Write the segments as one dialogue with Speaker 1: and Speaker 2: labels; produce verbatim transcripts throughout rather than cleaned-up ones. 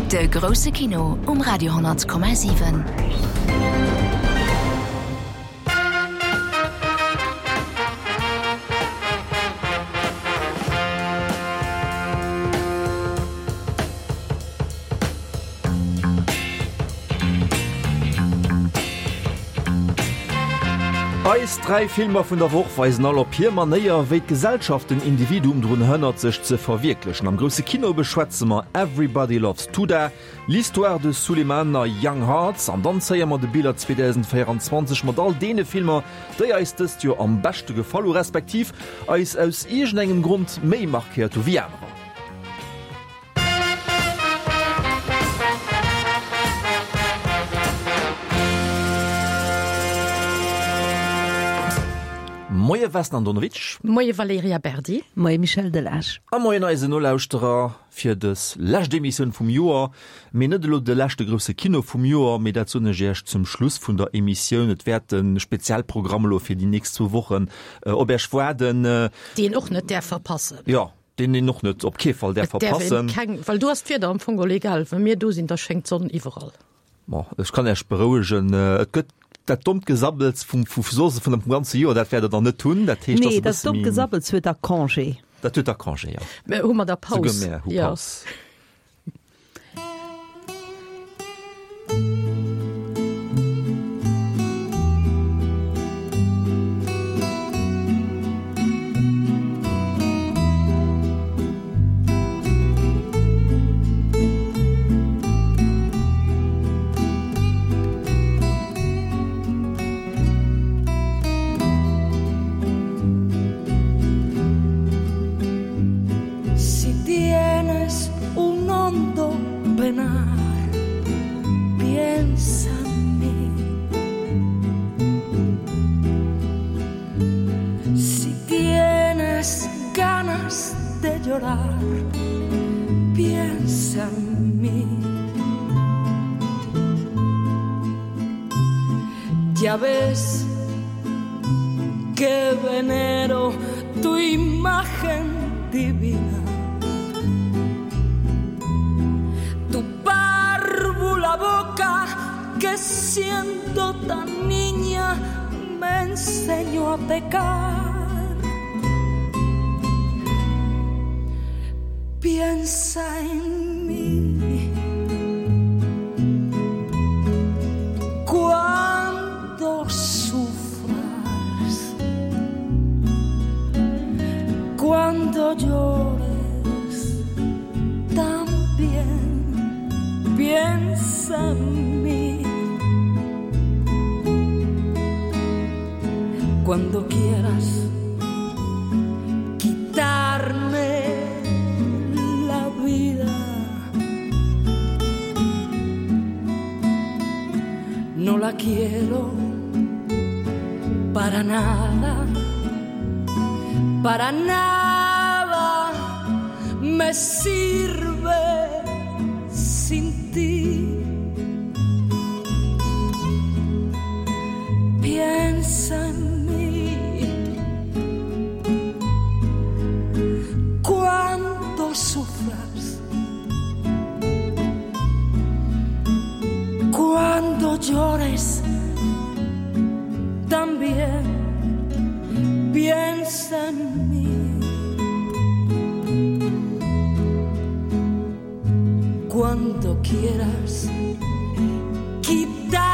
Speaker 1: De grousse Kino um Radio honnert Komma siwen.
Speaker 2: Eis dräi Filmer vun der Woch weisen all op hir Manéier, wéi d'Gesellschaft den Individuum drun hënnert, sech ze verwierklechen. Am grousse Kino beschwätze mer Everybody Loves Touda, L'Histoire de Souleymane a Young Hearts. An dann zéie mer de Bilan zweedausendvéierundzwanzeg mat all deene Filmer, déi eis dëst Joer am beschte gefall hu respektiv eis aus iergendengem Grond méi markéiert hu wéi anerer. Moie Vesna Andonovic.
Speaker 3: Moie Valerija Berdi.
Speaker 4: Moie Michel Delage.
Speaker 2: A moien eise Nolauschterer fir dës lescht Emissioun vum Joer. Mee net elo de leschte grousse Kino vum Joer, mee dat soen ech Iech zum Schluss vun der Emissioun. Et wäert e Spezialprogramm elo fir déi nächst zwou Wochen op Iech waarden.
Speaker 3: Deen och net däerf verpassen.
Speaker 2: Jo, deen een och net op kee Fall däerf
Speaker 3: Et däerf een
Speaker 2: verpassen.
Speaker 3: keng, well do ass d'Wieder am Fong geholl egal. Wa mir do sinn, da schéngt d'Sonn iwwerall.
Speaker 2: Bon, ech kann Iech berouegen, et gëtt dat dommt Gesabbels vum, vu soss vun dem ganze Joer, dat wäert Der dann net hunn. Dat heescht,
Speaker 4: Nee,
Speaker 2: ass e
Speaker 4: dat
Speaker 2: bësse
Speaker 4: dommt
Speaker 2: méi.
Speaker 4: Gesabbels huet da Congé.
Speaker 2: Dat huet da Congé, jo.
Speaker 3: Mä hu mer da
Speaker 2: Souguer
Speaker 3: Paus?
Speaker 2: mär hu
Speaker 3: Jo.
Speaker 2: Paus.
Speaker 5: Si tienes un hondo penar, piensa en mí. Si tienes ganas de llorar, piensa en mí. Ya ves que venero tu imagen divina. Tu párvula boca que siendo tan niña me enseñó a pecar. Piensa en mí. Cuando sufras, cuando llores, también piensa en mí. Cuando quieras quitarme la vida, no la quiero para nada, para nada me sirve sin ti. Piensa en mí cuando sufras, cuando llores, también piensa en mí. Cuando quieras quitarme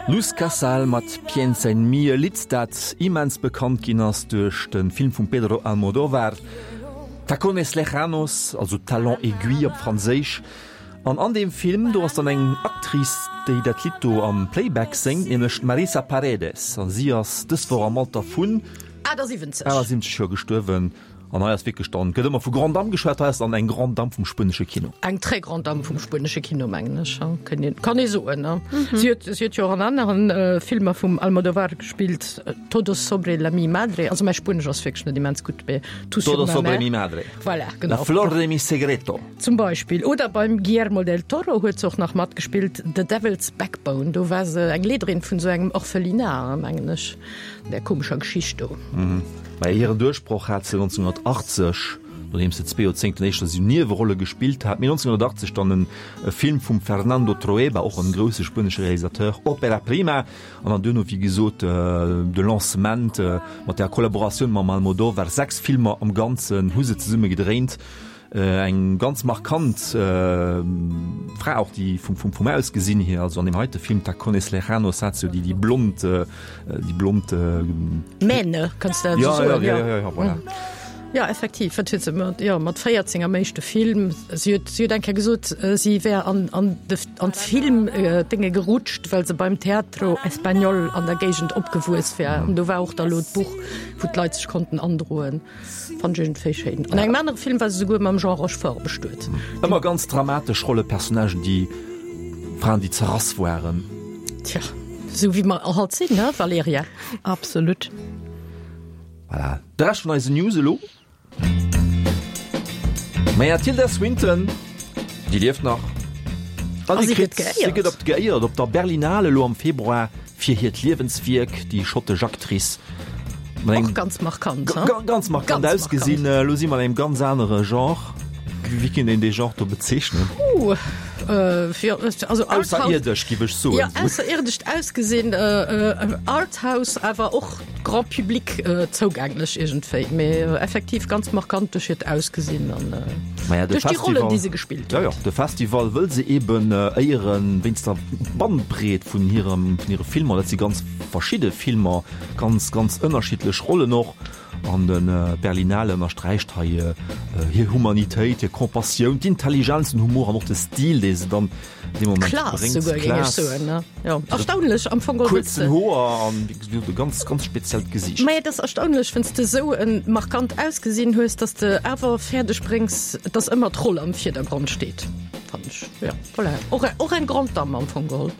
Speaker 2: Luz Casal mat Piensa en mí, e Lidd, dat immens bekannt ginn ass duerch de Film vum Pedro Almodóvar Tacones lejanos, also Talons aiguilles op Franséisch. An an deem Film, do ass dann eng Actrice, déi dat Lidd do am Playback séngt, nämlech d'Marisa Paredes. A si ass dës Woch am Alter vun
Speaker 3: achtasiwwenzeg
Speaker 2: achtasiwwenzeg Joer gestuerwen. An hei ass wierklech dann, gëtt ëmmer vu Grande Dame geschwat, hei ass dann eng Grande Dame vum spuenesche Kino.
Speaker 3: Eng très grande Dame vum spuenesche Kino, mengen ech, ha, kënnt een, kann ee soen, ne? Si huet, si huet jo och an aneren Filmer vum Almodóvar gespillt, Todo sobre la mi madre, also mäi Spuenesch ass wierklech net immens gutt, mee Tú sur
Speaker 2: Todo
Speaker 3: ma
Speaker 2: sobre
Speaker 3: mère.
Speaker 2: mi madre.
Speaker 3: Voilà,
Speaker 2: La
Speaker 3: genau.
Speaker 2: flor de mi segreto.
Speaker 3: Zum Beispill. Oder beim Guillermo del Toro huet se och nach matgespillt, The Devil's Backbone, do war se eng Leederin vun esou engem Orphelinat, mengen ech, an där komescher Geschicht do.
Speaker 2: Mä hiren Duerchbroch hat se neunzehnhundertachtzeg nodeems se zwee Joerzéngten éischter esou Niewerolle gespillt hat. Mee nonzénghunnertachtzeg dann e Film vum Fernando Trueba, och en grousse spuenesche Realisateur, Opera Prima. An dann duerno, wéi gesot, de Lancement mat der Kollaboratioun mam Almodóvar. Sechs Filmer am Ganzen hu se zesumme gedréint. Eng ganz markant Fra och, déi vum, vum, vum Ausgesinn hier, also an deem heite Film Tacones Lejanos hat se jo déi, déi blond, déi blond.
Speaker 3: Mähne, kanns de dat esou
Speaker 2: soen? Ja, ja, ja, ja, voilà.
Speaker 3: Ja, effektiv, wat huet se mat, jo, mat véierzéng am éischte Film. Si huet, si huet eng Kéier gesot, si wär an, an de, an d'Film-Dénge gerutscht, well se beim Teatro Español an der Géigend opgewuess wär. An do war och da lo d'Buch, wou d'Leit sech konnten androen. Fand ech iergendwéi schéin. An engem anere Film war se souguer mam Jean Rochefort bestuet.
Speaker 2: Ëmmer ganz dramatesch Rolle, Personnagen, déi Fraen, déi zerrass waren.
Speaker 3: Tja, esou wéi mer halt sinn, ne Valerija?
Speaker 4: Absolut.
Speaker 2: Voilà, de Rescht vun eisen News elo. Maja, d'Tilda Swinton, déi lieft nach. An si kritt, si gëtt op geéiert op der Berlinale elo am Februar fir hiert Liewenswierk, déi schottesch Actrice.
Speaker 3: Och ganz markant,
Speaker 2: he? Ganz markant ausgesinn. Elo si mer an engem ganz anere Genre. Wéi kéint een dee Genre do bezeechnen?
Speaker 3: Ooh, jo, also
Speaker 2: Arthouse. Ausserierdesch, giff ech soen.
Speaker 3: Jo, ausserierdescht Ausgesinn, Arthouse, awer och Grand Public zougänglech iergendwéi, mee effektiv ganz markant duerch hiert Ausgesinn an duerch déi Rollen, déi se gespillt
Speaker 2: huet. Jo, jo, de Festival wëll se eben éieren wéinst der Bandbreet vun hirem, vun hire Filmer. Dat si ganz verschidde Filmer, ganz, ganz ënnerschiddlech Rollen och. An de Berlinale ënnersträicht hei hir Humanitéit, hir Compassioun, d'Intelligenz, den Humor an och de Stil, dee se dann dee Moment
Speaker 3: Klass bréngt. Souguer, géing ech soen, ne? Jo, erstaunlech am Fong.
Speaker 2: Kuerzen Hoer an, wéi gesot, e ganz, ganz speziellt Gesiicht.
Speaker 3: Mä et ass erstaunlech, wann s de esou e markant Ausgesinn hues, dass de awer fäerdeg bréngs, dass ëmmer d'Roll am Virdergrond steet, fannen ech. Jo, voilà. Och, och eng Grande Dame am Fong geholl.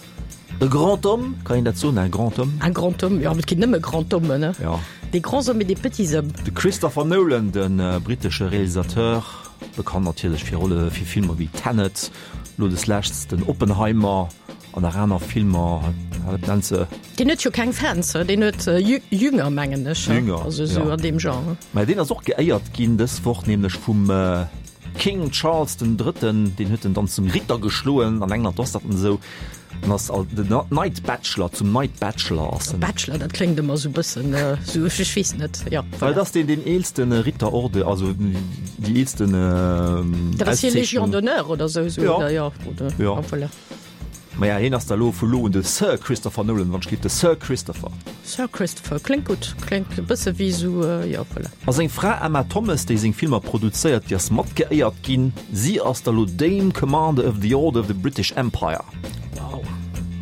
Speaker 2: E grand homme, kann een dat soen, un grand homme?
Speaker 3: Un grand homme, jo, et ginn nëmme grand hommes, ne?
Speaker 2: Jo.
Speaker 3: Des grands hommes et des petits hommes.
Speaker 2: De Christopher Nolan, de brittesche Realisateur, bekannt natierlech fir Rolle fir Filmer wéi Tenet, elo des leschts den Oppenheimer an nach aner Filmer, wat nennt se?
Speaker 3: Deen huet jo keng Fans, deen huet Jünger, mengen ech,
Speaker 2: Jünger,
Speaker 3: also esou an deem Genre.
Speaker 2: Mä deen ass och geéiert ginn dës Woch, nämlech vum King Charles den Drëtten, deen huet en dann zum Ritter geschloen, an England ass dat esou. En ass al den Night Bachelor, zum Night Bachelor ass en.
Speaker 3: Bachelor, dat kléngt ëmmer esou bëssen esou, ech weess net, jo,
Speaker 2: voilà. Et ass deen deen eelste Ritterorde, also déi eelsten
Speaker 3: Auszeechnung. Dat ass hir Légion d'honneur oder esou, esou,
Speaker 2: Jo,
Speaker 3: oder, jo, oder,
Speaker 2: jo.
Speaker 3: voilà.
Speaker 2: Maja, hien ass da lo vu lo un de Sir Christopher Nolan, wann ech giff de Sir Christopher.
Speaker 3: Sir Christopher, kléngt gutt, kléngt e bësse wéi esou, jo, voilà.
Speaker 2: A seng Fra Emma Thomas, déi seng Filmer produzéiert, déi ass mat geéiert ginn. Si ass da lo Dame Commander of the Order of the British Empire.
Speaker 3: Wow.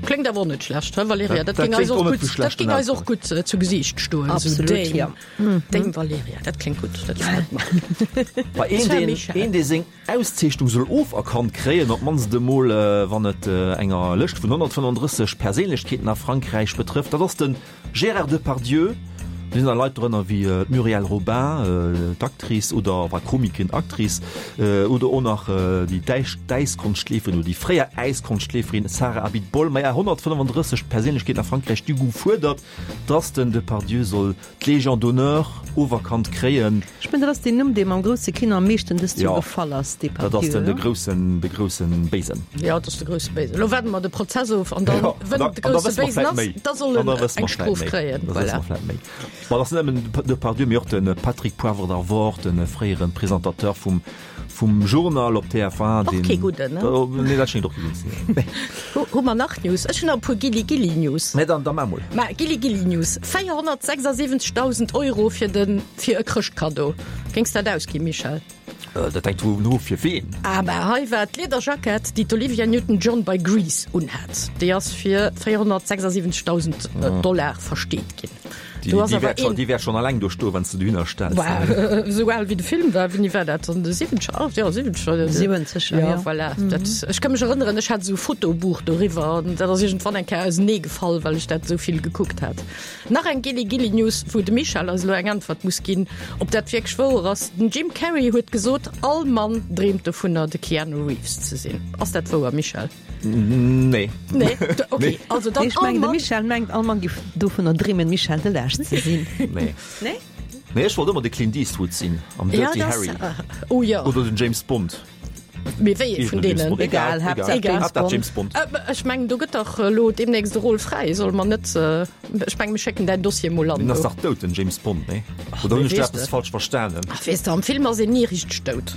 Speaker 3: Kléngt awer och net schlecht, he Valerija? Dat géing eis och gutt, dat géing eis och gutt zu Gesiicht stoen.
Speaker 4: Absolut,
Speaker 3: Dame,
Speaker 4: jo.
Speaker 3: Dame Valerija, dat kléngt gutt, dat gefält mer.
Speaker 2: Bei een,
Speaker 3: Sir
Speaker 2: deen,
Speaker 3: Michel.
Speaker 2: een, dee seng Auszeechnung soll oferkannt kréien, op d'mannst emol wann et enger Lëscht vun honnertfënnefundrësseg Perséinlechkeeten a Frankräich betrëfft, dat ass de Gérard Depardieu. Do sinn da Leit drënner wéi d'Muriel Robin, d'Actrice oder enfin Comique, Actrice, oder och nach déi däisch d'Äiskonschtleeferin oder déi fréier Äiskonschtleeferin Sarah Abitbol. Maja, honnertfënnefundrësseg Perséinlechkeeten a Frankräich, déi hu gefuerdert, dass den Depardieu soll d'Légion d'honneur oferkannt kréien.
Speaker 4: Ech mengen, dat ass deen Numm, dee mer am grousse Kino am meeschten dëst Joer
Speaker 2: Jo,
Speaker 4: gefall ass,
Speaker 2: dat ass
Speaker 4: Depardieu,
Speaker 2: den de
Speaker 4: oder?
Speaker 2: groussen, de groussen Béisen.
Speaker 3: Jo, dat ass de grousse Béisen. Elo waarde mer de Prozess of an dann,
Speaker 2: Jo,
Speaker 3: wënn
Speaker 2: an
Speaker 3: de
Speaker 2: da, an da
Speaker 3: grousse
Speaker 2: wësse mer
Speaker 3: Béisen
Speaker 2: vläit
Speaker 3: ass,
Speaker 2: méi.
Speaker 3: da soll
Speaker 2: An
Speaker 3: en
Speaker 2: da wësse
Speaker 3: eng
Speaker 2: mer vläit
Speaker 3: Strof
Speaker 2: méi.
Speaker 3: kréien.
Speaker 2: Da wësse
Speaker 3: Voilà.
Speaker 2: mer vläit méi. Ma dat ass net nëmmen Depardieu, mee och de Patrick Poivre d'Arvor, de fréiere Presentateur vum Vum Journal op T F un,
Speaker 3: Och
Speaker 2: deen.
Speaker 3: kee gudden, ne?
Speaker 2: Nee, dat schéngt och kee gudden ze sinn. Nee.
Speaker 3: Hu, hu mer nach News? Ech hunn nach e puer Gilli-Gilli-News.
Speaker 2: Mä dann, da mar mol.
Speaker 3: Mä Gilli-Gilli-News, véierhonnertsechsasiwwenzegdausend Euro fir de, fir e Chrëschtkaddo. Géings dat ausginn, Michel?
Speaker 2: Dat hänkt dovun of, fir ween.
Speaker 3: Ah, mä hei war d'Liederjackett, déi d'Olivia Newton-John bei Grease unhat. Déi ass fir véierhonnertsechsasiwwenzegdausend Dollar versteet ginn.
Speaker 2: Déi,
Speaker 3: Do ass
Speaker 2: déi
Speaker 3: awer
Speaker 2: wäert schon,
Speaker 3: een.
Speaker 2: déi wäert schon alleng do stoen, wann s de dohinner stells.
Speaker 3: Bah, esou al wéi de Film war, wéini war dat? An de siwwenzeger? Ah, jo, siwwenzeger.
Speaker 4: Siwwenzeger,
Speaker 3: Ja,
Speaker 4: jo.
Speaker 3: voilà. Dat, ech ka mech erënneren, ech hat esou e Fotobuch doriwwer an dat ass iergendwann eng Kéier auseneegefall, well ech dat esou vill gekuckt hat. Nach eng Gilli-Gilli-News, wou de Michel eis elo eng Äntwert muss ginn, ob dat wierklech wouer ass. Den Jim Carrey huet gesot, all Mann dreemt dovunner, de Keanu Reeves ze sinn. Ass dat wouer, Michel?
Speaker 2: Nee.
Speaker 3: Nee, okay.
Speaker 2: Nee.
Speaker 3: Also dann
Speaker 4: Nee, ech mengen, de
Speaker 3: all Mann.
Speaker 4: Michel mengt, all Mann giff dovunner dreemen, Michel Delage ze sinn.
Speaker 2: Nee.
Speaker 4: Nee?
Speaker 2: Nee, ech wollt ëmmer de Clint Eastwood sinn am Dirty
Speaker 3: Ja, das,
Speaker 2: Harry.
Speaker 3: äh, oh ja.
Speaker 2: Oder den James Bond.
Speaker 3: Mee wéi ee vun deenen?
Speaker 4: Egal, Haaptsaach
Speaker 3: Egal.
Speaker 4: James Bond.
Speaker 2: James Bond.
Speaker 3: Äh, ech mengen, do gëtt dach elo deemnächst de Rôle fräi. Solle mer net, ech mengen, mir schécken däin Dossier mol an
Speaker 2: Deen ass
Speaker 3: do.
Speaker 2: dach dout, den James Bond, nee? Oder hunn ech
Speaker 3: wéi
Speaker 2: do
Speaker 3: weess
Speaker 2: eppes
Speaker 3: de?
Speaker 2: falsch verstanen?
Speaker 3: Ach, weess de, am Film ass een ni richteg dout.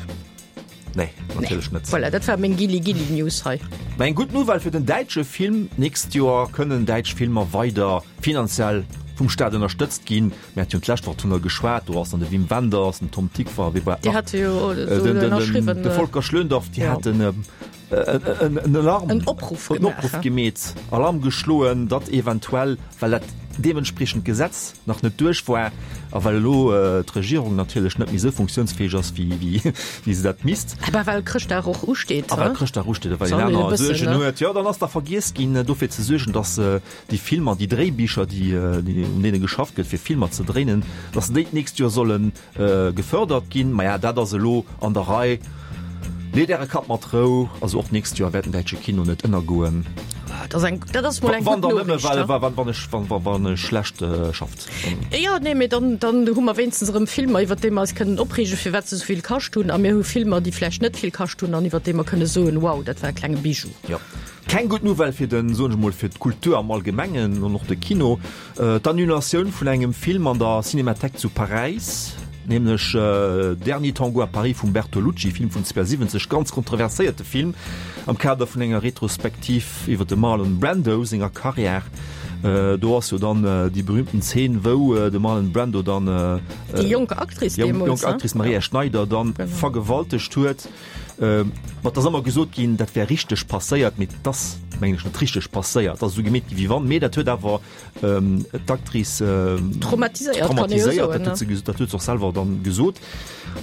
Speaker 2: Nee, natierlech net.
Speaker 3: Voilà, dat war meng Gilli Gilli News hei.
Speaker 2: Mä eng gutt Nouvelle fir den däitsche Film, D'nächst Joer kënnen däitsch Filmer weider finanziell vum Staat ënnerstëtzt ginn. Mir hate jo d'lescht Woch dovunner geschwat, do ass dann de Wim Wenders, den Tom Tykwer, wee war
Speaker 3: Déi
Speaker 2: nach?
Speaker 3: hate jo
Speaker 2: Äh,
Speaker 3: esou
Speaker 2: den, den, den,
Speaker 3: ënnerschriwwen.
Speaker 2: de Volker Schlöndorff, déi
Speaker 3: Ja.
Speaker 2: haten en, en, en Alarm,
Speaker 3: En Opruff
Speaker 2: en
Speaker 3: gemaach,
Speaker 2: Opruff
Speaker 3: ja.
Speaker 2: gemeet, Alarm geschloen, datt eventuell, well dat deementspriechend Gesetz nach net duerch war a well elo d'Regierung natierlech net méi esou funktiounsfäeg ass, wéi, wéi, wéi se dat misst.
Speaker 3: Awer well Chrëschtdag och usteet,
Speaker 2: A well Chrëschtdag usteet a well een
Speaker 3: Soll een e
Speaker 2: aner
Speaker 3: bëssen,
Speaker 2: Suergen
Speaker 3: ne?
Speaker 2: huet. Jo, dann ass da vergiess ginn, dofir ze suergen, datt déi Filmer, déi Dréibicher, déi, déi, un deene geschafft gëtt, fir Filmer ze dréinen, datt déi d'nächst Joer solle gefërdert ginn. Maja, dat ass elo an der Rei. Leet äre Kapp mat Rou, also och d'nächst Joer wäert den däitsche Kino net ënnergoen.
Speaker 3: Dat ass eng, dat ass mol eng
Speaker 2: Wann
Speaker 3: gutt
Speaker 2: dann nëmme
Speaker 3: Noriicht,
Speaker 2: well,
Speaker 3: ha?
Speaker 2: wa, wann ech, wann, wann, wann e schlecht äh, schafft. Dann.
Speaker 3: Jo, nee, mee dann, dann hu mer wéinstens erëm Filmer, iwwer déi mer eis kënnen opreegen, firwat se esou vill kascht hunn. A mir hu Filmer, déi vläicht net vill kascht hunn an iwwer déi mer kënne soen, wow, dat war e klenge Bijou.
Speaker 2: Jo. Keng gutt Nouvelle fir den, soen ech mol, fir d'Kultur am Allgemengen an och de Kino, d'Annulatioun vun engem Film an der Cinémathèque zu Paräis, nämlech Dernier Tango à Paris vum Bertolucci, Film vun zweeënsiwwenzeg, ganz kontroverséierte Film am Kader vun enger Retrospektiv iwwer de Marlon Brando senger Karriär. Do ass jo dann déi berühmten Zeen, wou de Marlon Brando dann
Speaker 3: Déi jonk Actrice
Speaker 2: déi jonk Actrice Maria Schneider dann vergewaltegt huet. Mat ass ëmmer gesot ginn, dat wär richteg passéiert, mee et ass mengen ech net richteg passéiert. Et ass esou gemeet gi wéi wann, mee dat huet awer d'Actrice
Speaker 3: traumatiséiert, kann ee jo
Speaker 2: traumatiséiert,
Speaker 3: soen,
Speaker 2: dat huet se, dat huet se och selwer dann gesot.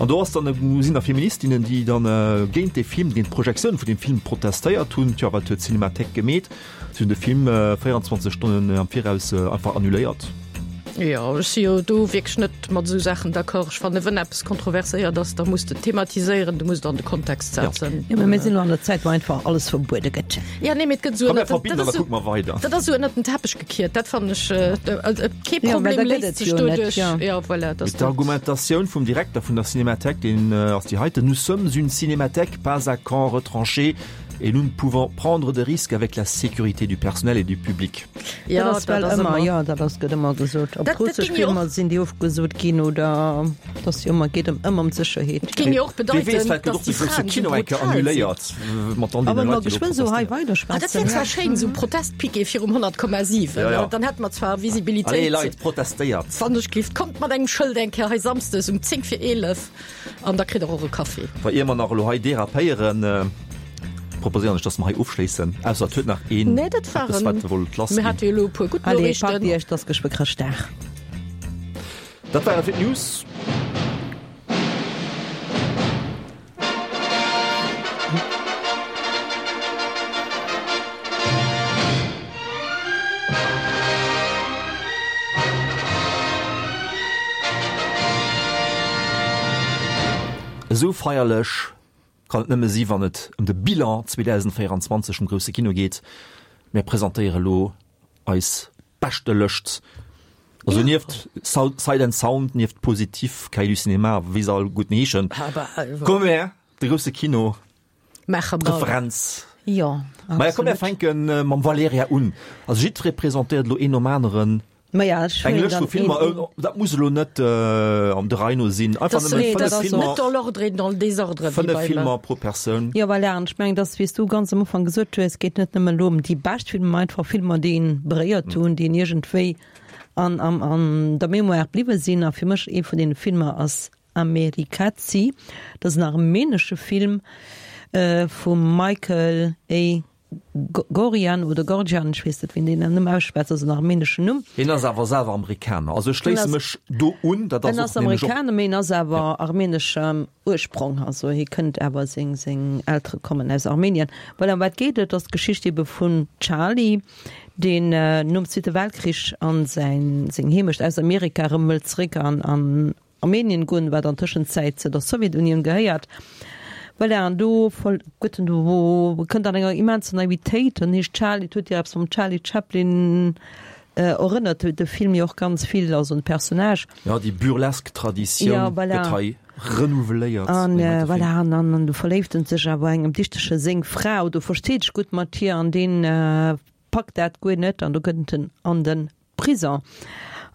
Speaker 2: An do ass dann, sinn da Feministinnen, déi dann géint dee Film, géint d'Projektioun vun deem Film protestéiert hunn. Tjo, wat huet d'Cinémathèque gemeet? Si hunn de Film véierundzwanzeg Stonnen am Viraus einfach annuléiert.
Speaker 3: Jo, ech si jo do wierklech net mat esou Saachen d'accord. Ech fannen, wënn eppes kontroverséiert ass, da muss de et thematiséieren, du muss et an de Kontext setzen.
Speaker 4: Jo, mä mir sinn elo an der Zäit, wou einfach alles verbuede gëtt.
Speaker 3: Ja, nee, mee et gëtt esou
Speaker 2: Komm, mir
Speaker 3: ënnert den,
Speaker 2: verbinden
Speaker 3: dat
Speaker 2: an da
Speaker 3: ass esou,
Speaker 2: kucke mer weider.
Speaker 3: dat ass esou ënnert den Teppech gekiert. Dat fannen ech, kee
Speaker 4: Jo, mä
Speaker 3: Problem
Speaker 4: da gëtt
Speaker 3: léist
Speaker 4: et
Speaker 3: sech
Speaker 4: jo net,
Speaker 3: doduerch.
Speaker 4: jo.
Speaker 3: Jo, voilà, dat
Speaker 2: Mee
Speaker 3: ass dat.
Speaker 2: d'Argumentatioun vum Direkter vun der Cinémathèque, deen ass déi heiten, Nous sommes une cinémathèque, pas un camp retranché. Et nous ne pouvons prendre de risques avec la sécurité du personnel et du public.
Speaker 3: Ja,
Speaker 4: dat ass
Speaker 3: dat
Speaker 4: well
Speaker 3: ass
Speaker 4: ëmmer,
Speaker 3: ëmmer.
Speaker 4: jo, dat ass, gëtt ëmmer gesot. Ob
Speaker 3: Dat, dat
Speaker 4: russesch
Speaker 3: géing jo
Speaker 4: Filmer
Speaker 3: och.
Speaker 4: sinn, déi ofgesot ginn oder dass jo ëmmer geet ëm ëmmer ëm d'Sécherheet.
Speaker 3: Géing jo och
Speaker 2: Wie weess,
Speaker 3: bedeiten,
Speaker 2: vläicht gëtt
Speaker 3: dass
Speaker 2: och de
Speaker 3: déi
Speaker 2: grousse
Speaker 3: Fraen esou
Speaker 2: Kino eng Kéier
Speaker 3: brutal sinn.
Speaker 2: annuléiert, mat all
Speaker 4: A
Speaker 2: deene
Speaker 4: wa mer
Speaker 2: Leit, déi do
Speaker 4: geschwënn esou hei
Speaker 2: protestéieren.
Speaker 3: Ah, dat
Speaker 4: weiderschwätzen,
Speaker 3: wär zwar
Speaker 4: ja.
Speaker 3: schéin, esou Protestpiquet virum honnert Komma siwen,
Speaker 2: Ja, ja.
Speaker 3: Dann hätte mer zwar
Speaker 2: Allez,
Speaker 3: Visibilitéit.
Speaker 2: Leit, protestéiert!
Speaker 3: Wann ech gelift, kommt mat engem Schëld eng Kéier hei samsdes um zéng vir eelef an da kritt der och e Kaffi.
Speaker 2: Wa ier mer nach elo hei derapéieren, proposéieren ech, dass mer hei ofschléissen, ausser et huet nach een
Speaker 3: Nee, dat
Speaker 2: eppes,
Speaker 3: waren,
Speaker 2: wat e wollt
Speaker 3: mir
Speaker 2: lassginn.
Speaker 3: hate jo elo e puer gutt
Speaker 4: Allez, packt
Speaker 3: Noriichten.
Speaker 4: Iech, et ass geschwë Chrëschtdag.
Speaker 2: Dat war et fir d'News. Esou feierlech kann et nëmme si wann et ëm de Bilan zweedausendvéierundzwanzeg vum grousse Kino geet. Mir presentéiere lo eis beschte Lëscht. Also nieft Sight and Sound, nieft Positif, Cahiers du Cinéma, wéi se all gutt heeschen. Komm her, de grousse Kino,
Speaker 3: Maache mer.
Speaker 2: Preferenz.
Speaker 4: Jo,
Speaker 2: Maja, komm mir
Speaker 4: absolut.
Speaker 2: fänke mam Valerija un. Also jiddweree presentéiert elo een nom aneren.
Speaker 4: Maja, ech
Speaker 2: Eng
Speaker 4: huelen
Speaker 2: Lëscht vu
Speaker 4: dann
Speaker 2: Filmer,
Speaker 4: een.
Speaker 2: äh, dat muss elo net äh, am der Rei no sinn. Einfach
Speaker 3: Das
Speaker 2: nëmmen
Speaker 3: nee,
Speaker 2: fënnef
Speaker 3: dat ass
Speaker 2: Filmer,
Speaker 3: net dans l'ordre et dans le désordre, wéi
Speaker 2: fënnef
Speaker 3: beim
Speaker 2: Filmer pro Persoun.
Speaker 4: Jo, voilà, an ech mengen, dass, wéi s du ganz am Ufank gesot hues, geet net nëmmen elo ëm déi bescht Filmer, mä einfach Filmer, déi een beréiert hunn, déi een iergendwéi an, an, an der Mémoire bliwwe sinn. A fir mech ee vun deene Filmer ass Amerikazi. Dat ass en armenesche Film äh, vum Michael A. Gorian oder Gorgian, ech weess net, wéi een deen Numm ausschwätzt, ass en armeneschen Numm.
Speaker 2: Hien ass awer selwer Amerikaner. Also ech schléisse mech do un, dat
Speaker 4: En
Speaker 2: ass
Speaker 4: ass
Speaker 2: och nämlech och.
Speaker 4: Amerikaner, mee en ass awer armeneschem Ursprong, also hie kënnt awer, seng, seng Eltere kommen aus Armenien. Voilà, ëm wat geet et? Dat ass d'Geschicht ebe vun Charlie, deen nom Zweete Weltkrich an säin, seng Heemecht aus Amerika erëm wëllt zeréck an, an Armenien goen, wat an Tëschenzäit zu der Sowjetunioun gehéiert. Voilà, an do voll gëtt en do kënnt an enger immenser Naivitéit, en heescht Charlie, et huet jo eppes vum Charlie Chaplin Erënnert de Film jo och ganz vill, also un d'Personnage.
Speaker 2: Jo, déi burlesk Traditioun
Speaker 4: Ja, voilà.
Speaker 2: gëtt hei renouveléiert.
Speaker 4: An
Speaker 2: an deem heite
Speaker 4: voilà,
Speaker 2: Film.
Speaker 4: an an du verléift en sech awer engem Dichtege seng Fra, oder versteet sech gutt mat hir, an deen packt dat guer net an do gëtt en an de Prison.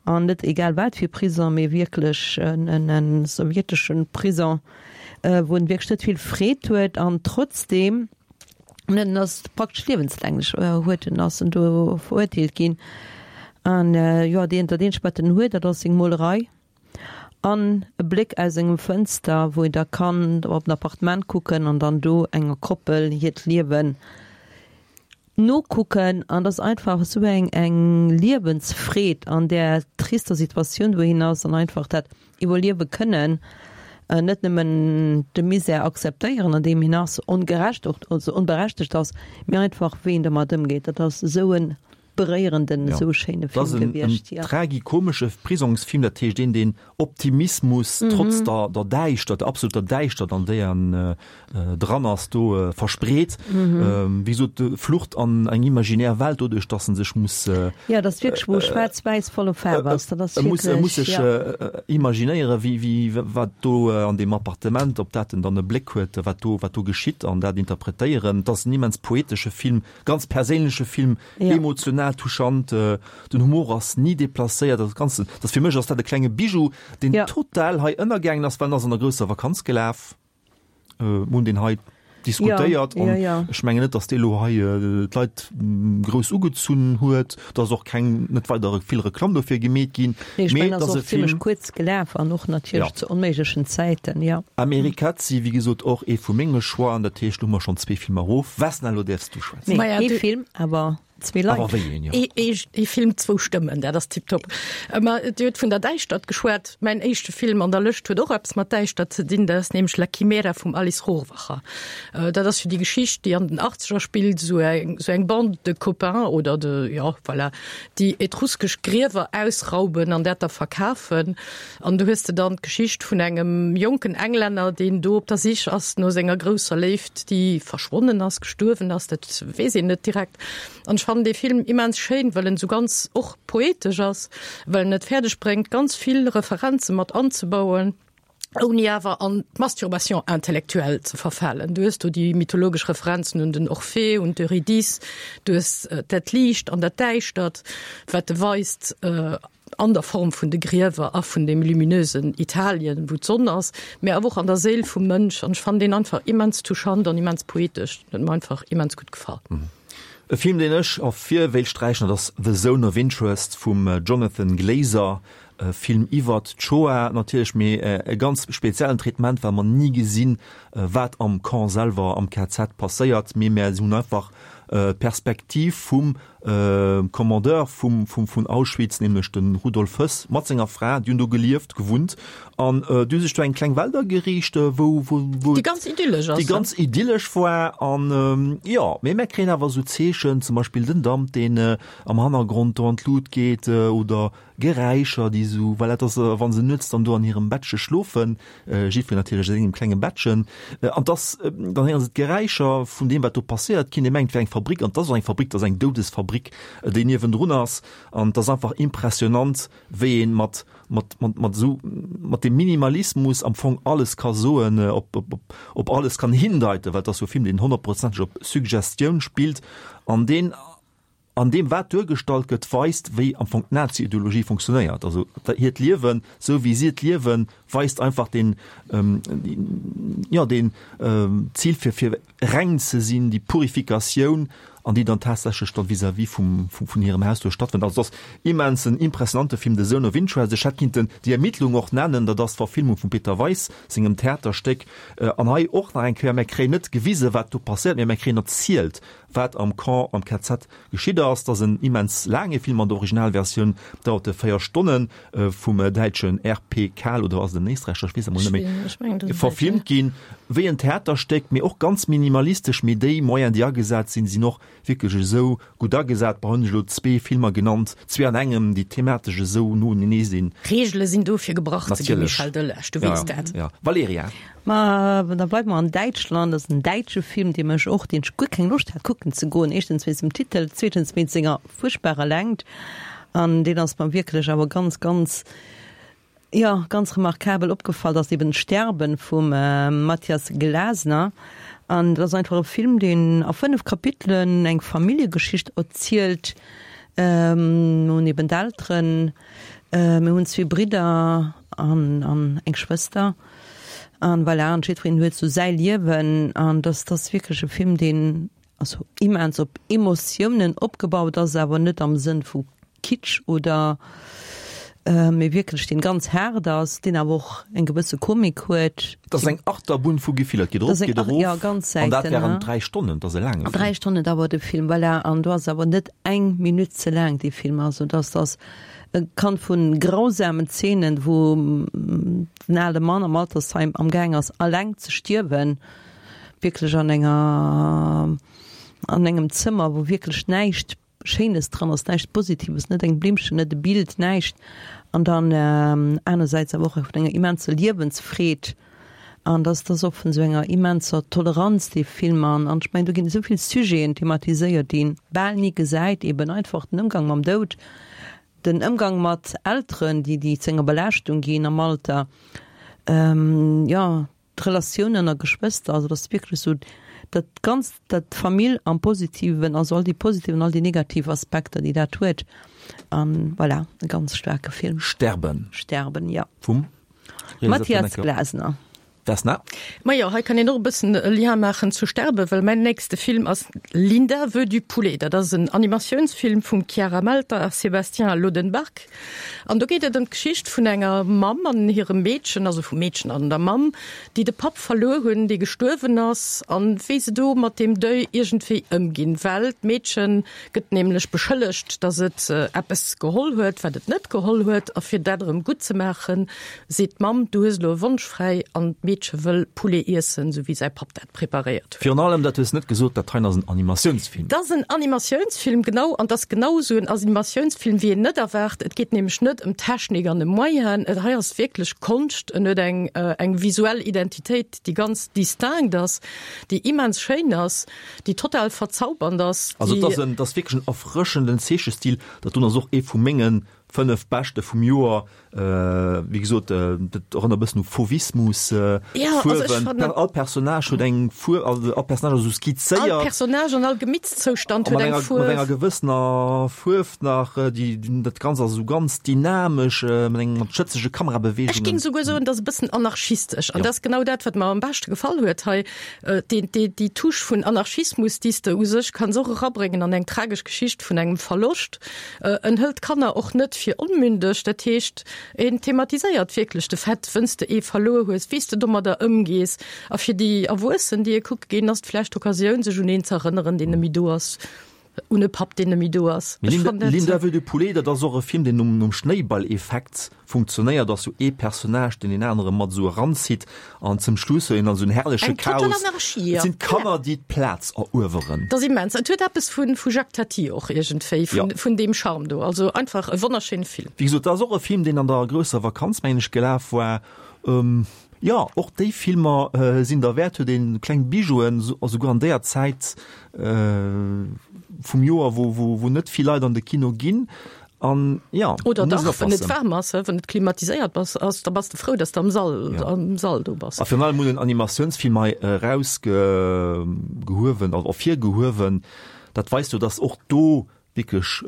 Speaker 4: An net egal wat fir Prison, mee wierklech en en sowjeteschen Prison, wou en wierklech net vill Freed huet an trotzdeem, en ass praktesch liewenslänglech huet en, ass en do verurteelt ginn. An jo, deen, dat eenzegt wat en huet, dat ass seng Molerei an e Bléck aus engem Fënster, wou een da kann op en Appartement kucken an dann do enger Koppel hiert Liewen nokucken. An dat ass einfach esou eng eng Liewensfreed an där trister Situatioun, wou hien ass, an einfach dat iwwerliewe kënnen, net nëmmen de Misär akzeptéieren, an deem hien ass, ongerecht och, also onberechtegt ass, mee einfach wéi en domat ëmgeet. Dat ass esou e beréierenden,
Speaker 2: Ja.
Speaker 4: esou e schéine
Speaker 2: Dat ass
Speaker 4: Film
Speaker 2: en, en
Speaker 4: gewiescht, jo.
Speaker 2: tragikomesche Prisongsfilm, dat heescht een, deen Optimismus trotz der, der Däischtert, der absoluter Däischtert, an déi en äh, dran ass, do äh, verspreet. Ähm, wéi gesot, Flucht an eng imaginär Welt, doduerch, dass en sech muss äh,
Speaker 4: Ja, dat ass wierklech, wou schwaarz-wäiss voller Faarf ass. Dat ass
Speaker 2: E muss, e muss
Speaker 4: wierklech,
Speaker 2: sech
Speaker 4: ja.
Speaker 2: äh, imaginéieren, wéi, wéi, wat do äh, an deem Appartement, op dat en dann e Bléck huet, wat do, wat do geschitt an dat interpretéieren. Dat ass en immens poetesche Film, ganz perséinleche Film,
Speaker 4: Ja.
Speaker 2: emotional touchant, äh, den Humor ass ni deplacéiert, dat Ganze, dat fir mech ass dat e klenge Bijou, deen
Speaker 4: Ja.
Speaker 2: total hei ënnergaangen ass, well en ass an der grousser Vakanz gelaf. Äh, mir hunn deen hei diskutéiert
Speaker 4: Ja, ja,
Speaker 2: an
Speaker 4: ja.
Speaker 2: ech mengen net, datt dee lo hei äh, d'Leit mm, grouss ugezunn huet, da ass och keng net weider vill Reklamm dofir gemeet ginn.
Speaker 4: Nee, ech
Speaker 2: Mee
Speaker 4: mengen,
Speaker 2: et
Speaker 4: ass
Speaker 2: ass e
Speaker 4: och zimmlech
Speaker 2: Film.
Speaker 4: kuerz gelaf an och natierlech
Speaker 2: Ja.
Speaker 4: zu onméiglechen Zäiten, ja.
Speaker 2: Amerikazzi, wéi gesot, och ee vu menge Choixen, dat heescht, lo hu mer schonn zwee Filmer erof. Vesna, lo däerfs du schwätzen.
Speaker 4: Nee,
Speaker 3: Maja,
Speaker 4: ee
Speaker 3: du-
Speaker 4: Film, awer zwee Leit.
Speaker 2: Awer wéi een, jo.
Speaker 3: Ee, ee, ee Film, zwou Stëmmen, dat ass tiptop. Ma Dir hutt vun der Däischtert geschwat. Mäin éischte Film an der Lëscht huet och eppes mat Däischtert ze dinn, dat ass nämlech La Chimera vum Alice Rohrwacher. Dat ass jo déi Geschicht, déi an den Achtzeger spillt, esou eng, esou eng Bande de copains oder de, jo, voilà, déi etruskesch Griewer ausrauben an dat da verkafen. An du hues de dann d'Geschicht vun engem jonken Englänner, deen do op der Sich ass no senger grousser Léift, déi verschwonnen ass, gestuerwen ass, dat weess een net direkt. An ech fannen dee Film immens schéin, well en esou ganz och poetesch ass, well en et fäerdeg bréngt, ganz vill Referenze mat anzebauen, ouni awer an d'Masturbation intellectuelle ze verfalen. Du hues do déi mythologesch Referenzen un den Orphée, un d'Eurydice, du hues dat Liicht an dat Däischtert, wat e weist an der Form vun de Griewer a vun deem luminösen Italien, wou d'Sonn ass, mä awer och an der Séil vum Mënsch. An ech fannen deen einfach immens touchant an immens poetesch. Den huet mer einfach immens gutt gefall.
Speaker 2: E Film, deen ech ervir wéilt sträichen, dat ass The Zone of Interest vum Jonathan Glazer. E Film iwwert d'Shoah natierlech, mee e ganz speziellen Traitement, well mer ni gesinn, wat am Camp selwer, am K Z passéiert, mee mer hunn einfach d'Perspektiv vum Commandeur vum vun Auschwitz, nämlech de Rudolf Höss mat senger Fra, déi hunn do gelieft, gewunnt an déi hu sech do eng kleng Welt ageriicht, wou wou wou
Speaker 3: Déi ganz idyllesch ass,
Speaker 2: déi ganz idyllesch war an jo, mee mer kréien awer esou Zeechen, zum Beispill den Damp, deen am Hannergrond do an d'Lut geet oder Geräischer, déi esou, well dat ass, wa se nuets dann do an hirem Bettche schlofen, jiddwereen natierlech a sengem klenge Bettchen, an dass, dann héiere se d'Geräischer vun deem, wat do passéiert. Keen, dee mengt, et wär eng Fabrik, an et ass och eng Fabrik, et ass eng Doudesfabrik, déi niewendrun ass. An et ass einfach impressionant, wéi ee mat, mat, mat, mat esou, mat deem Minimalismus am Fong alles ka soen, op, op, op, op alles kann hindeiten, well et ass jo e Film, deen honnertprozenteg op Suggestioun spillt an deen, an deem wat duergestallt gëtt, weist, wéi am Fong d'Nazi-Ideologie funktionéiert. Also hiert Liewen, esou wéi si et liewen, weist einfach den, jo, den Zil fir, fir reng ze sinn, déi Purifikatioun, an déi dann tatsächlech dann vis-à-vis vum, vun hirem Haus do stattfënnt. Also et ass immens en impressionante Film, The Zone of Interest. Ech hätt kinnten Die Ermittlung och nennen, dat ass d'Verfilmung vum Peter Weis sengem Theaterstéck. An hei och nach eng Kéier, mir kréien net gewise wat do passéiert, mee mir kréien erzielt, wat am Camp, am K Z geschitt ass. Dat ass en immens laange Film, an der Originalversioun dauert e véier Stonnen, vum däitschen R P Kahl, oder ass et en Éisträicher, ech weess et emol net méi, verfilmt ginn, wéi en Theaterstéck, mee och ganz minimalistesch, mee déi Moyen, déi agesat sinn, sinn och wierklech esou gutt agesat. Bah, hunn ech elo zwee Filmer genannt, zwee an engem, déi thematesch esou no unenee sinn.
Speaker 3: Reegele sinn do fir gebrach ze ginn,
Speaker 2: Natierlech.
Speaker 3: Michel Delage, du
Speaker 2: Ja,
Speaker 3: weess dat.
Speaker 2: ja. Valerija.
Speaker 4: Ma da bleiwe mer an Däitschland. Dat ass en däitsche Film, dee mech och, deen ech guer keng Loscht hat kucken ze goen, éischtens wéinst dem Titel, zweetens wéinst senger fuerchtbarer Längt. An deen ass mer wierklech awer ganz, ganz, jo, ganz remarkabel opgefall, dat ass eben Sterben vum Matthias Glasner. An dat ass einfach e Film, deen a fënnef Kapitelen eng Familljegeschicht erzielt. Mir hunn eben d'Elteren, mir hunn zwee Bridder an, an eng Schwëster. An voilà, an jiddwereen huet sou säi Liewen. An dat ass wierklech e Film, deen also immens op Emotiounen opgebaut ass, awer net am Sënn vu Kitsch oder mee wierklech deen ganz haart ass, deen awer och eng gewësse Komik huet.
Speaker 2: Dat ass eng Achterbunn vu Gefiller, et geet erop, geet erof,
Speaker 4: ja, ganz
Speaker 2: an dat
Speaker 4: Säiten,
Speaker 2: während dräi Stonnen, dat ass e laange Film.
Speaker 4: Dräi Stonnen dauert de Film, voilà, an do ass awer net eng Minutt ze laang dee Film, also dass ass e kann vu grausamen Zeenen, wou den ale Mann am Altersheim am gaang ass alleng ze stierwen, wierklech an enger an engem Zëmmer, wou wierklech näischt Schéines dran ass, näischt Positives, net eng Blimmchen, net e Bild, näischt. An dann anersäits awer och vun enger immenser Liewensfreed. An dass dass och vun esou enger immenser Toleranz dee Film. An an ech mengen, do ginn esou vill Sujeten thematiséiert, déi een bal ni gesäit, eben einfach den Ëmgang mam Doud, den Ëmgang mat Elteren, déi déi zu enger Belaaschtung ginn am Alter, jo, d'Relatioun ënner Geschwëster, also dat ass wierklech esou dat Ganzt, dat d'Famill am Positiven, also all déi positiv an all déi negativ Aspekter, déi dat huet. An voilà, e ganz staarke Film.
Speaker 2: Sterben.
Speaker 4: Sterben, jo.
Speaker 2: Vum
Speaker 4: Matthias Glasner.
Speaker 2: Vesna?
Speaker 3: Majo, hei kann een och e bëssen e Lien maachen zu Sterben, well mäin nächste Film ass Linda veut du poulet. Dat ass en Animatiounsfilm vum Chiara Melter a Sébastien Lodenbark. An do geet et ëm d'Geschicht vun enger Mamm an hirem Meedchen, also vum Meedchen an der Mamm, déi de Papp verluer hunn, dee gestuerwen ass, an wéi se do mat deem Deuil iergendwéi ëmginn. Well d'Meedche gëtt nämlech beschëllegt, datt et eppes geholl huet, wat et net geholl huet. A fir dat erëm gutt ze maachen, seet d'Mamm, Du hues elo e Wonsch fräi. An d'Meedche wëll Poulet iessen, sou wéi säi Papp dat preparéiert huet.
Speaker 2: Virun allem, dat hues net gesot, dat heien ass en Animatiounsfilm.
Speaker 3: Dat ass en Animatiounsfilm, genau. An dat ass genau esou en Animatiounsfilm, wéi een net erwaart. Et geet nämlech net ëm Technik an ëm Moyenen. Et hei ass wierklech Konscht. En huet eng, eng visuell Identitéit, déi ganz distinct ass, déi immens schéin ass, déi total verzaubernd ass,
Speaker 2: Also et
Speaker 3: déi.
Speaker 2: ass en, et ass wierklech en erfrëschenden Zeechestil. Dat doen ass och ee vu mengen Fënnef beschte vum Joer, wéi gesot, dat erënnert e bëssen u Fauvismus, Fuerwen, all Personnage huet eng Fuerf, also all Personnage ass esou skizzéiert.
Speaker 3: All Personnage an all Gemittszoustand huet eng Fuerf.
Speaker 2: Mat enger gewëssener Fuerf nach, déi, dat Ganzt ass esou ganz dynamesch, mat engem, mat schëtzege Kamerabeweegungen.
Speaker 3: Ech géing souguer soen, dat ass e bëssen anarchistesch. An dat ass genau dat, wat mer am beschte gefall huet hei, déi, déi, déi Touche vun Anarchismus, déi s de u sech kanns och erabréngen an eng tragesch Geschicht vun engem Verloscht. En hëlt d'Kanner och net fir onmündeg, dat heescht, en thematiséiert wierklech de Fait, wënn s de ee verluer hues, wéi s de domadder ëmgees. A fir déi Erwuessen, déi e kucke ginn, ass et vläicht d'Occasioun, sech un een ze erënneren, deen net méi do ass, un e Papp, deen net méi do ass.
Speaker 2: Mee Linda veut du poulet, dat ass och e Film, deen nom Schnéiball-Effekt funktionéiert, ass sou ee Personnage, deen deen anere mat esou eranzitt an zum Schluss huet een dann esou en herrleche
Speaker 3: Eng total
Speaker 2: Chaos.
Speaker 3: Anarchie,
Speaker 2: Et
Speaker 3: ja.
Speaker 2: sinn d'Kanner, déi d'Plaz erueweren.
Speaker 3: Dat ass immens. Et huet eppes vu vu Jacques Tati och iergendwéi,
Speaker 2: Ja.
Speaker 3: vun vun deem Charme do. Also einfach e wonnerschéine Film.
Speaker 2: Wéi gesot, dat ass och e Film, deen an der grousser Vakanz, mengen ech, gelaf war. Jo, och déi Filmer sinn derwäert, huet een kleng Bijouen, esouguer an déier Zäit vum Joer, wou wou wou net vill Leit an de Kino ginn. An ja,
Speaker 3: Oder dach, wann et waarm ass, wann et klimatiséiert bass ass, da bass de frou, dass de am Sall, ja. am Sall do bass.
Speaker 2: A virun allem hunn en Animatiounsfilm hei erausgehuewen, also ervirgehuewen, dat weist jo, dass och do wierklech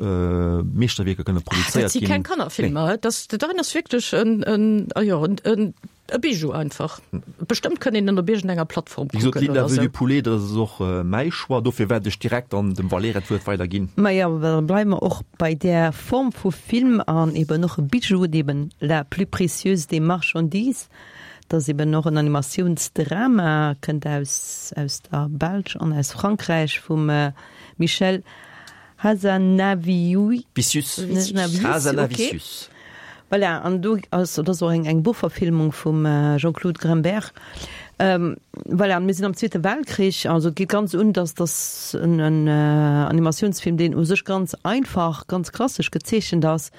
Speaker 2: Meeschterwierker kënne produzéiert ginn.
Speaker 3: Dat si keng Kannerfilmer, dat dat ass wierklech en, en, jo, en, en E Bijou einfach. Bestëmmt kënnt een en op iergendenger Plattform
Speaker 2: Wéi gesot,
Speaker 3: kucken
Speaker 2: Linda
Speaker 3: oder
Speaker 2: veut
Speaker 3: sou.
Speaker 2: du poulet, dat ass och mäi Choix. Dofir wäert ech direkt dann dem Valerija d'Wuert weiderginn.
Speaker 4: Majo, da bleiwe mer och bei där Form vu Film an eben och e Bijou, eben La plus précieuse des marchandises. Dat ass eben och en Animatiounsdrama, kënnt aus aus der Belsch an aus Frankräich vum Michel Hazanavicius.
Speaker 2: Vicius.
Speaker 4: Vicius,
Speaker 2: Hazanavicius.
Speaker 4: okay. Voilà, an do ass, dat ass och eng, eng Buchverfilmung vum Jean-Claude Gremberg. Voilà, an mir sinn am Zweete Weltkrich, also et geet ganz un, dass dass en, en Animatiounsfilm, deen u sech ganz einfach, ganz klassesch gezeechent ass.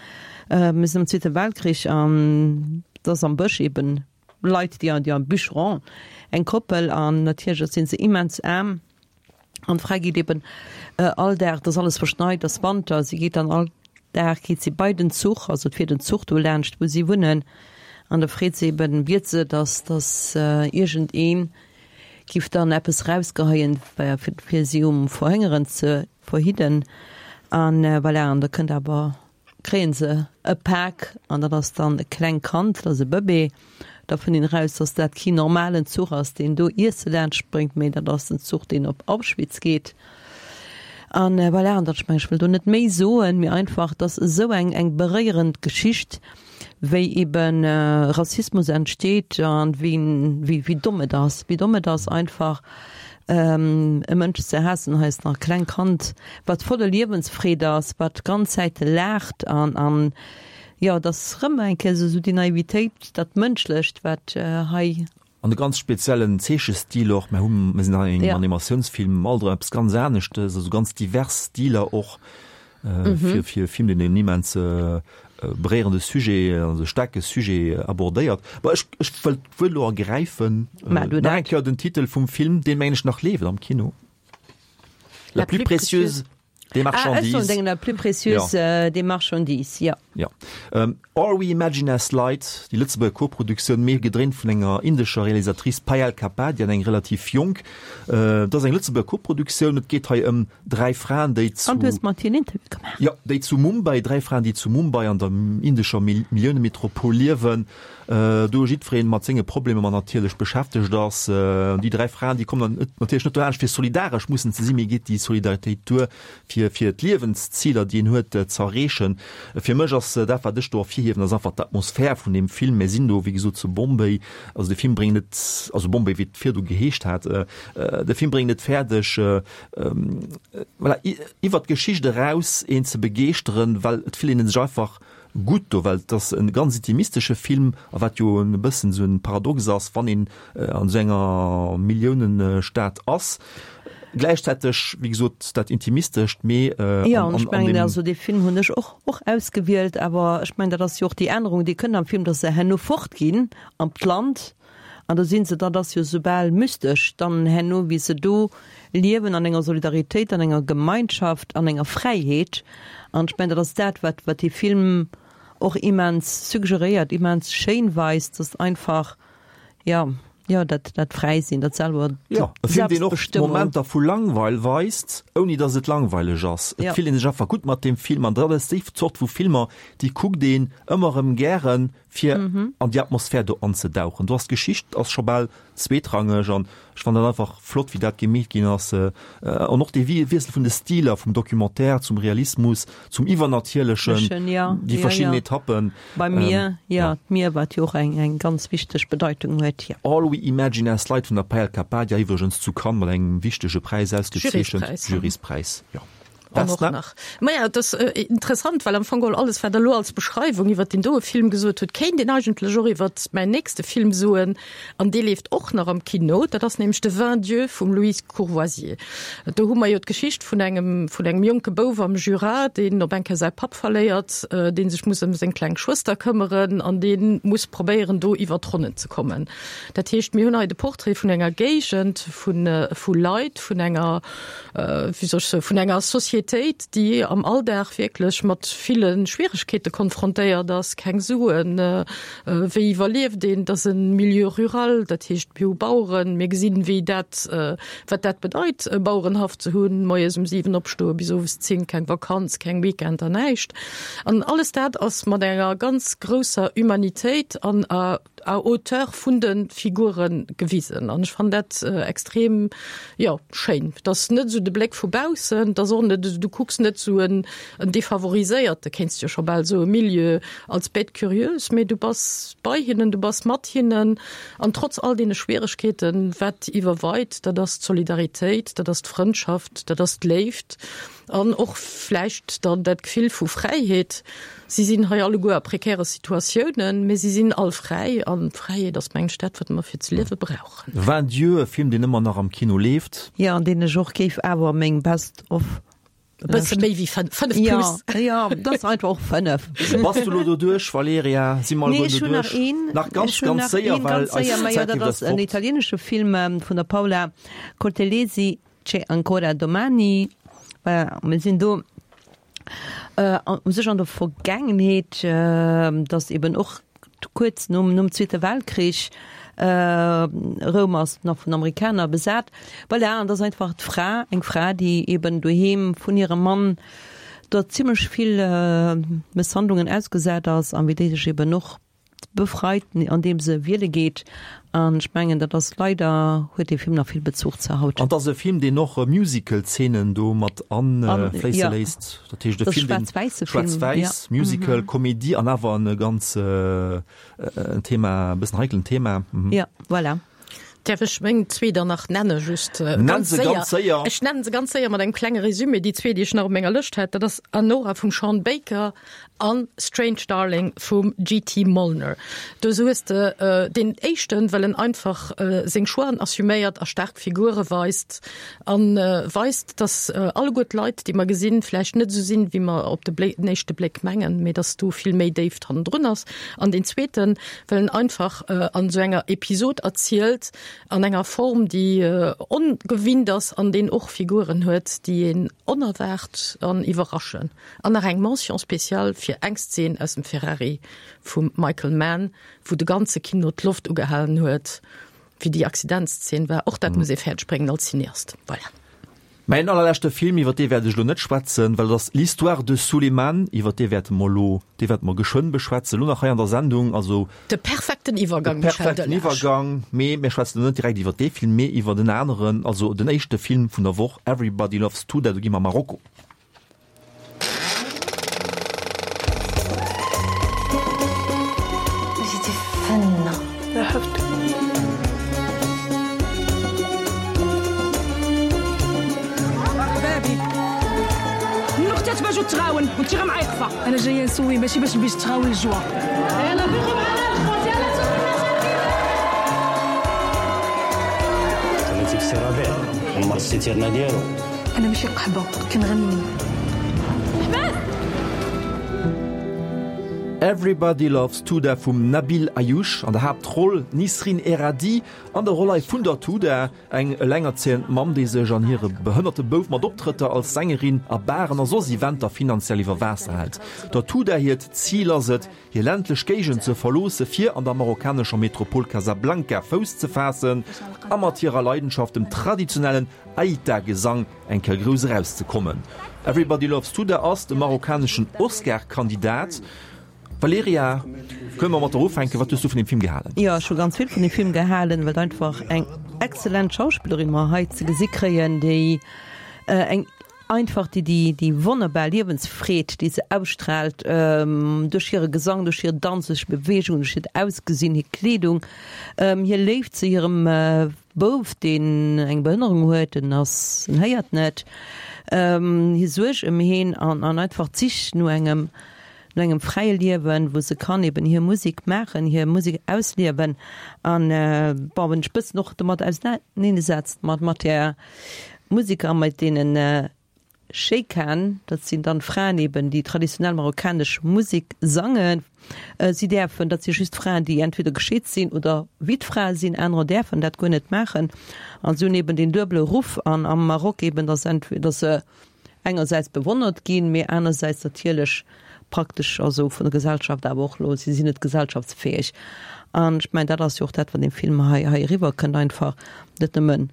Speaker 4: Mir sinn am Zweete Weltkrich an et ass am Bësch eben Leit, déi, déi am Bûcheron, eng Koppel, an natierlech sinn se immens aarm. An d'Fra geet eben all Dag, et ass alles verschneit, et ass Wanter, si geet dann all Dag geet si bei den Zuch, also et fiert en Zuch do laanscht, wou si wunnen, an da freet se eben, biet se, dass, dass iergendeen giff dann eppes rausgeheien, fir, fir si um Verhëngeren ze verhidden. An voilà, an da kënnt awer, kréien se e Pak an dat ass dann e klengt Kand, dat ass e Bëbee. Da fënnt een eraus, dass dat keen normalen Zuch ass, deen do Iesse laanscht bréngt, mee dat ass den Zuch, deen op Auschwitz geet. An voilà, an dat, ech mengen, ech wëll do net méi soen, mee einfach, dass esou eng, eng beréierend Geschicht, wéi eben Rassismus entsteet an wéi, wéi, wéi domm et ass, wéi domm et ass einfach e Mënsch ze haassen, hei ass nach e klengt Kand, wat voller Liewensfreed ass, wat ganz Zäite laacht an, an jo, et ass rëm eng Kéier esou déi Naivitéit, dat Mënschlecht, wat hei.
Speaker 2: An e ganz speziellen Zeechestil och. Mir hunn, mir sinn hei an engem Animatiounsfilm, alt erëm eppes ganz aneschtes, also ganz divers Stiler och fir fir e Film, deen en immens beréierende Sujet, also staarke Sujet abordéiert. Bon, ech ech wëll d'Wuert elo ergräifen, nach eng Kéier den Titel vum Film, deen, mengen ech, nach leeft am Kino, La plus précieuse des marchandises. Ah, ech
Speaker 4: soen, La plus précieuse des marchandises, jo.
Speaker 2: Jo. All We Imagine As Light, déi Lëtzebuerger Koproduktioun, mee gedréint vun enger indescher Realisatrice, Payal Kapadia, eng relativ jonk. Et ass eng Lëtzebuerger Koproduktioun. Et geet hei ëm dräi Fraen, déi zu.
Speaker 4: An du hues mat hir en Interview gemaach.
Speaker 2: Jo, déi zu Mumbai, dräi Fraen, déi zu Mumbai an der indescher Milliounemetropol liewen, do jiddweree mat senge Problemer natierlech beschäftegt ass. Déi dräi Fraen, déi kommen dann natierlech net dolaanscht, fir solidaresch mussen ze sinn, mee geet déi Solidaritéit duer, fir fir d'Liewensziler, déi een huet, z'erreechen. Fir mech ass dat, wat ech do ervirhiewen, ass einfach d'Atmosphär vun deem Film. Mir sinn do, wéi gesot, zu Bombay. Also de Film bréngt et, also Bombay, wéi et virdu geheescht hat, de Film bréngt et fäerdeg, voilà, iwwert d'Geschicht eraus een ze begeeschteren, well et fillt een sech einfach gutt do, well et ass e ganz intimistesche Film, a wat jo e bëssen esou e Paradox ass, wann een an esou enger Milliounestad ass. Gläichzäiteg, wéi gesot, dat Intimistescht, mee
Speaker 4: an, Jo, an ech mengen, also dee Film hunn ech och, och ausgewielt, awer ech mengen, dat ass jo och déi Ännerung, déi kënnt am Film, datt se herno fortginn an d'Land, an da si se, dat ass jo soubal mystesch dann herno, wéi se do liewen an enger Solidaritéit, an enger Gemeinschaft, an enger Fräiheet. An ech mengen, dat ass dat, wat, wat dee Film och immens suggeréiert, immens schéin weist, datt einfach, jo, jo, dat, dat Fräisinn, dat selwer,
Speaker 2: Jo, e Film, deen och
Speaker 4: Selbstbestëmmung.
Speaker 2: Momenter vu Langweil weist, ouni datt et langweileg ass. Et
Speaker 4: Ja.
Speaker 2: fillt ee sech einfach gutt mat deem Film an dat ass déi Zort vu Filmer, déi kuckt een ëmmer erëm gären, fir an déi Atmosphär do anzedauchen. Do ass d'Geschicht ass scho bal zweetrangeg an ech fannen dat einfach flott, wéi dat gemeet ginn ass. An och dee Wiessel vun de Stiler, vum Documentaire zum Realismus, zum Iwwernatierlechen, déi verschidden Etappen.
Speaker 4: Beim Mier, jo, d'Mier, wat jo och eng eng ganz wichteg Bedeitung huet, jo.
Speaker 2: All We Imagine As Light vun der Payal Kapadia, iwwregens zu Cannes mat engem wichtege Präis ausgezeechent, Juryspräis, jo.
Speaker 3: An och nach. Maja, et ass interessant, well am Fong geholl alles, wat Der elo als Beschreiwung iwwert deen doe Film gesot hutt, kéint een eigentlech och iwwert mäin nächste Film soen, an dee leeft och nach am Kino. Dat ass nämlech De Vingt Dieux vum Louise Courvoisier. Do hu mer jo d'Geschicht vun engem, vun engem jonke Bouf am Jura, deen op eng Kéier säi Papp verléiert, dee sech muss ëm seng kleng Schwëster këmmeren an dee muss probéieren, do iwwert d'Ronnen ze kommen. Dat heescht, mir hunn hei de Portrait vun enger Géigend, vu, vu Leit, vun enger, wéi soll ech soen, vun enger Societéit, déi am Alldag wierklech mat ville Schwieregkeete konfrontéiert ass, keng Suen, wéi iwwerlieft een, et ass e Milieu rural, dat heescht mir hu Baueren, mir gesinn, wéi dat, wat dat bedeit, e Bauerenhaff ze hunn, moies um siwen opstoen, bis owes zéng, keng Vakanz, keng Weekender, näischt. An alles dat ass mat enger ganz grousser Humanitéit an à hauteur vun de Figure gewisen an ech fannen dat extrem, jo, schéin. Et ass net esou de Bléck vu baussen, et ass och net esou, du kucks net esou en defavoriséierte, kéints de jo scho bal soen, Milieu als Bête curieuse, mee du bass bei hinnen, du bass mat hinnen an trotz all deene Schwieregkeeten, wat iwwerweit, dat ass d'Solidaritéit, dat ass d'Frëndschaft, dat ass d'Léift an och vläicht dann dat Gefill vu Fräiheet. Si sinn hei alleguer a prekäre Situatiounen, mee si sinn all fräi. An Fräiheet ass, mengen ech, dat, wat mer fir ze liewe brauchen.
Speaker 2: Vingt Dieux, e Film, deen ëmmer nach am Kino leeft.
Speaker 4: Jo, an deen ech och géif awer meng Best of.
Speaker 3: E bësse méi wéi fënnef, fënnef plus.
Speaker 4: Jo, jo, dat ass einfach och fënnef.
Speaker 2: Bass du elo doduerch, Valerija? Si mer
Speaker 4: Nee,
Speaker 2: alleguer
Speaker 4: ech hunn nach
Speaker 2: doduerch?
Speaker 4: een.
Speaker 2: Nach ganz,
Speaker 4: Ech hunn
Speaker 2: ganz
Speaker 4: nach
Speaker 2: séier,
Speaker 4: een,
Speaker 2: well
Speaker 4: ganz séier.
Speaker 2: eis
Speaker 4: Majo,
Speaker 2: Zäit
Speaker 4: dat
Speaker 2: leeft
Speaker 4: ass
Speaker 2: eis
Speaker 4: en
Speaker 2: fort.
Speaker 4: italienesche Film vun der Paola Cortellesi, C'è ancora domani. Voilà, mir sinn do. U sech an der Vergaangenheet, dass eben och kuerz nom nom Zweete Weltkrich, Roum ass nach vun Amerikaner besat. Voilà, an dass einfach d'Fra, eng Fra, déi eben doheem vun hirem Mann der zimlech vill Mësshandlungen ausgesat ass an wéi déi sech eben och befreit, andeem se wiele geet. An ech mengen, dat ass leider, huet dee Film nach vill Bezuch zu haut.
Speaker 2: An et ass e Film, deen och Musical-Zeenen do mat afléisse léisst. Dat heescht e Film, deen schwaarz-wäiss, Musical, Komedie an awer e ganz en Thema, e bëssen heikelen Thema.
Speaker 4: Jo, voilà.
Speaker 3: Däerf ech meng zwee dann nach nenne just
Speaker 2: ganz séier?
Speaker 3: Ech nennen se ganz séier mat engem klenge Resumé, déi zwee, déi ech nach op menger Lëscht hat. Dat ass Anora vum Sean Baker an Strange Darling vum G T. Mollner. Do hues de deen éischten, well en einfach seng Choixen assuméiert a staark Figure weist a weist, dass alleguer d'Leit, déi mer gesinn, vläicht net esou sinn, wéi mer op de den éischte Bléck mengen, mee dass do vill méi Déift hannendrun ass. An deen zweeten, well en einfach an esou enger Episod erzielt, an enger Form, déi ongewinnt ass an deen och Figuren huet, déi een onerwaart an iwwerraschen. An nach eng Mention spéciale fir eng Szen aus dem Ferrari vum Michael Mann, wou de ganze Kino d'Loft ugehalen huet, wéi déi Accidentszene war. Och dat muss ee fäerdeg bréngen als Cineast. Voilà.
Speaker 2: Mäin allerleschte Film, iwwer dee wäert ech elo net schwätzen, well et ass L'Histoire de Souleymane, iwwer dee wäerte mer elo, dee wäerte mer geschwënn beschwätzen, elo nach hei an der Sendung, also.
Speaker 3: De perfekten Iwwergang,
Speaker 2: Michel Delage. De perfekten Iwwergang, mee mir schwätzen elo net direkt iwwer dee Film, mee iwwer en aneren, also den éischte Film vun der Woch, Everybody Loves Touda, do gi mer a Marokko.
Speaker 6: تغاون وانت غير معيقفه انا جايه نسوي ماشي باش نبيش تغاون الجوا يلا فيقوا معنا الخوت يلا
Speaker 7: تهليتي في سي ربيع عمر السيتيرنا ديالو
Speaker 6: انا ماشي قحبه كنغني
Speaker 2: Everybody Loves Touda vum Nabil Ayouch, an der Haaptroll d'Nisrin Erradi, an der Roll hei vun der Touda, eng elengerzéiend Mamm, déi sech an hire behënnerte Bouf mat Optrëtter als Sängerin a Baren a soss Eventer finanziell iwwer Waasser hält. Der Touda hiert Zil ass et, hir ländlech Géigend ze verloosse fir an der marokkanescher Metropol Casablanca Fouss ze faassen a mat hirer Leidenschaft, dem traditionellen Aïta-Gesang, eng Kéier grouss erauszekommen. Everybody Loves Touda ass de marokkaneschen Oscar-Kandidat. Valerija, kënne mer mat der ufänken? Wat hues du vun deem Film gehalen?
Speaker 4: Jo, ech hu ganz vill vun deem Film gehalen, well et einfach eng exzellent Schauspillerin mer hei ze gesi kréien, déi eng einfach déi déi déi wonnerbar Liewensfreed, déi se ausstrahlt duerch hire Gesang, duerch hir Danz, duerch Beweegung, duerch hiert Ausgesinn, hir Kleedung, hir Léift zu hirem Bouf, deen eng Behënnerung huet, en ass, en héiert net, hir Suerg ëm heen an an einfach d'Sich no engem no engem fräie Liewen, wou se kann eben hir Musek maachen, hir Musek ausliewen an, bon, wann ech bëssen och domat ausenaneesetzt mat mat där Musek a mat deenen Sheikhan, dat sinn dann Fraen eben, déi traditionell marokkanesch Musek sangen, si däerfen, dat si just Fraen, déi entweder gescheet sinn oder Wittfrae sinn, anerer däerfen dat guer net maachen an si hunn eben deen duebele Ruff an am Maroc eben, dass entweder, dass se engersäits bewonnert ginn, mee anersäits natierlech praktesch, also vun der Gesellschaft awer och elo, si sinn net gesellschaftsfäeg. An ech mengen, dat ass jo och dat, wat deem Film hei hei eriwwerkënnt, einfach net nëmmen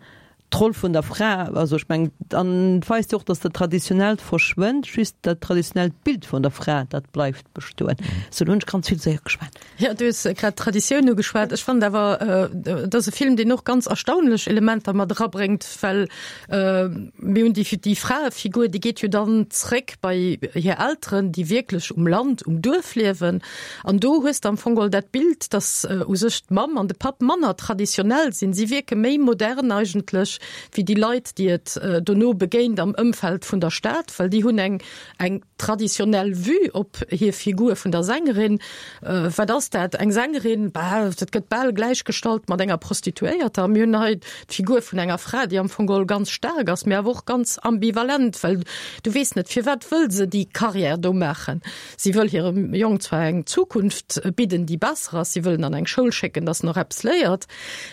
Speaker 4: d'Roll vun der Fra, also ech mengen, an et weist jo och, datt dat Traditionellt verschwënnt, just dat traditionellt Bild vun der Fra, dat bleift bestoen. Sou, elo hunn ech ganz vill séier geschwat.
Speaker 3: Jo, du hues grad d'Traditioun ugeschwat. Ech fannen awer, et ass e Film, deen och ganz erstaunlech Elementer mat erabréngt, well mir hunn déi, déi Fraefigur, déi geet jo dann zréck bei hir Elteren, déi wierklech um Land, um Duerf liewen. An do hues de am Fong geholl dat Bild, dass u sech d'Mamm an de Papp manner traditionell sinn. Si wierke méi modern eigentlech wéi déi Leit, déi et dono begéint am Ëmfeld vun der Stad, well déi hunn eng, eng traditionell Vue op hir Figur vun der Sängerin. Wat ass dat, eng Sängerin? Bah, dat gëtt bal gläichgestallt mat enger Prostituéierter. Mir hunn hei d'Figur vun enger Fra, déi am Fong geholl ganz staark ass, mee awer och ganz ambivalent, well du weess net, firwat wëll se déi Carrière do maachen. Si wëll hirem Jong zwar eng Zukunft bidden, déi besser ass, si wëll en an eng Schoul schécken, dass en och eppes léiert,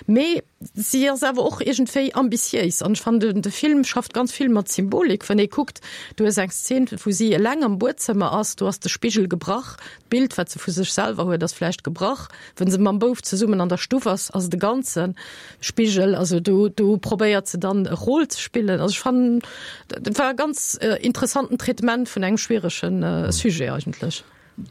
Speaker 3: mee si ass awer och iergendwéi ambitiéis an ech fannen de Film schafft ganz vill mat Symbolik, wann ee kuckt, du hues eng Szen wou si eleng am Buedzëmmer ass, do ass de Spigel gebrach, d'Bild wat se vu sech selwer huet ass vläicht gebrach, wann se mam Bouf zesummen an der Stuff ass, ass et e ganze Spigel, also do do probéiert se dann e Rôle ze spillen. Also ech fannen dat war e ganz interessanten Traitement vun engem schwierege Sujet eigentlech.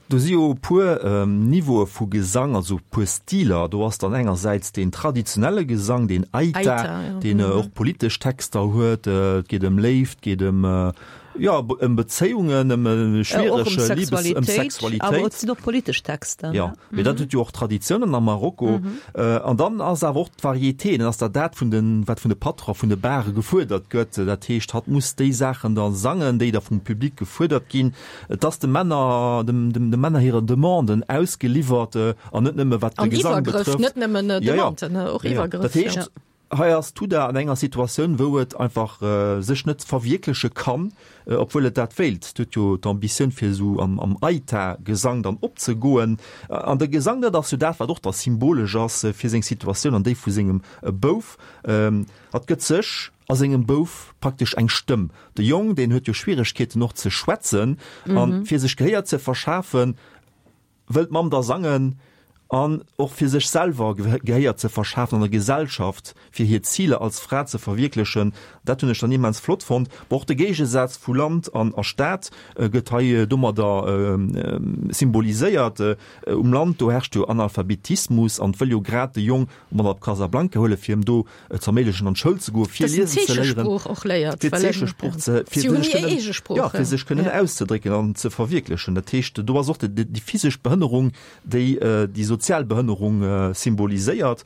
Speaker 2: Do si jo e puer Niveaue vu Gesang, also e puer Stiler. Do ass dann engersäits deen traditionelle Gesang, deen Aita, deen och politesch Texter huet. Et geet ëm Léift, geet ëm, jo, ëm Bezéiungen, ëm e schwierege Libes-, ëm Sexualitéit.
Speaker 4: Awer et sinn och politesch Texter.
Speaker 2: Jo, mee dat huet jo och Traditiounen am Marokko. An dann ass awer och d'Varieté, dann ass dat dat vun den, wat vun de Patron vun de Bare gefuerdert gëtt. Dat heescht, hatt muss déi Saachen da sangen, déi da vum Public gefuerdert ginn. Et ass de Männer, dem, dem, de Männer hire Demanden ausgeliwwert an net nëmme wat de Gesang betrëfft.
Speaker 3: Net nëmmen Demanden, ja, ja. och Iwwergrëff.
Speaker 2: Dat heescht, ja. hei ass Tuda an enger Situatioun, wou et einfach äh, sech net verwierkleche kann, äh, obwuel et dat wéilt. Et huet jo d'Ambitioun fir esou am, am Aita-Gesang dann opzegoen. An de Gesang, dat ass jo dat, wat och da symbolesch ass fir seng Situatioun an déi vu sengem Bouf. Ähm, hatt gëtt sech a sengem Bouf praktesch eng Stëmm. De Jong, deen huet jo Schwieregkeeten och ze schwätzen, an fir sech Gehéier ze verschafen, wëll d'Mamm da sangen, an och fir sech selwer Gehéier ze verschafen an der Gesellschaft, fir hir Ziler als Fra ze verwierklechen. Dat hunn ech dann immens flott fonnt. Bon, och de Géigesaz vu Land an a Stad gëtt hei domadder symboliséiert. Um Land, do herrscht jo Analphabetismus an wëll jo grad de Jong mat op Casablanca huelen, fir em do z'erméiglechen an d'Schoul ze goen, fir liesen ze léieren, fir d'Zeechesprooch ze, fir sech kënnen, jo, fir sech kënnen auszedrécken an ze verwierklechen. Dat heescht, do ass och déi physesch Behënnerung, déi déi sozial Behënnerung symboliséiert.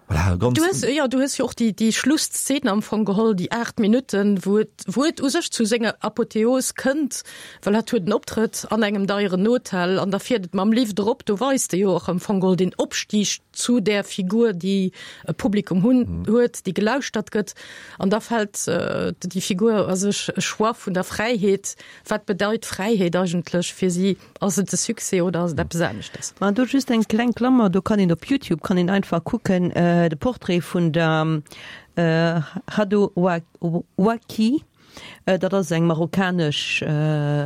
Speaker 2: Voilà, ganz.
Speaker 3: Du hues, jo, du hues jo och déi, déi Schlusszeen am Fong geholl, déi aacht Minutten, wou et, wou et u sech zu senger Apotheos kënnt, well hatt huet en Optrëtt an engem deieren Hotel an da fiert et mam Lift erop. Do weist e jo och am Fong geholl den Opstig zu där Figur, déi e Publikum hunn, huet, déi gelauschtert gëtt. An da fält déi Figur a sech e Choix vun der Fräiheet. Wat bedeit Fräiheet eigentlech fir si? Ass et de Succès oder ass et eppes aneschtes?
Speaker 4: Ma do just eng kleng Klammer, do kann een op Youtube kann een einfach kucken de Portrait vun der Hadou Ouaki, dat ass eng marokkanesch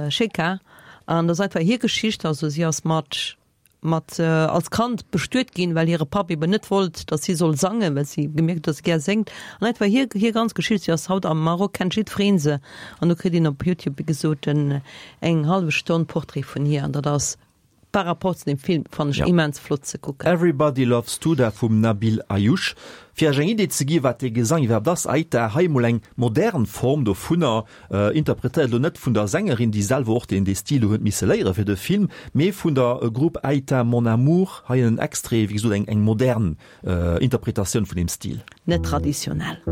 Speaker 4: Sheikha an dat ass einfach hir Geschicht, also si ass mat mat als Kand bestuet ginn, well hire Papp eben net wollt, datt si soll sangen, well si gemierkt huet, datt si gär séngt. An einfach hir hir ganz Geschicht, si ass haut am Maroc, kennt jiddweree se. An do kritt een op Youtube, wéi gesot, en eng hallef Stonn Portrait vun hir an dat ass par rapport zu dem Film, fannen ech, immens flott ze kucken.
Speaker 2: Everybody Loves Touda vum Nabil Ayouch. Fir Iech eng Idee ze gi wat dee Gesang iwwerhaapt ass, Aita, hei emol eng modern Form dovunner, interpretéiert elo net vun der Sängerin, déi selwer och deen dee Stil do huet misse léiere fir de Film, mee vun der Grupp Aita Mon Amour. Hei en Extrait, wéi gesot eng eng modern Interpretatioun vun deem Stil.
Speaker 4: Net traditionell.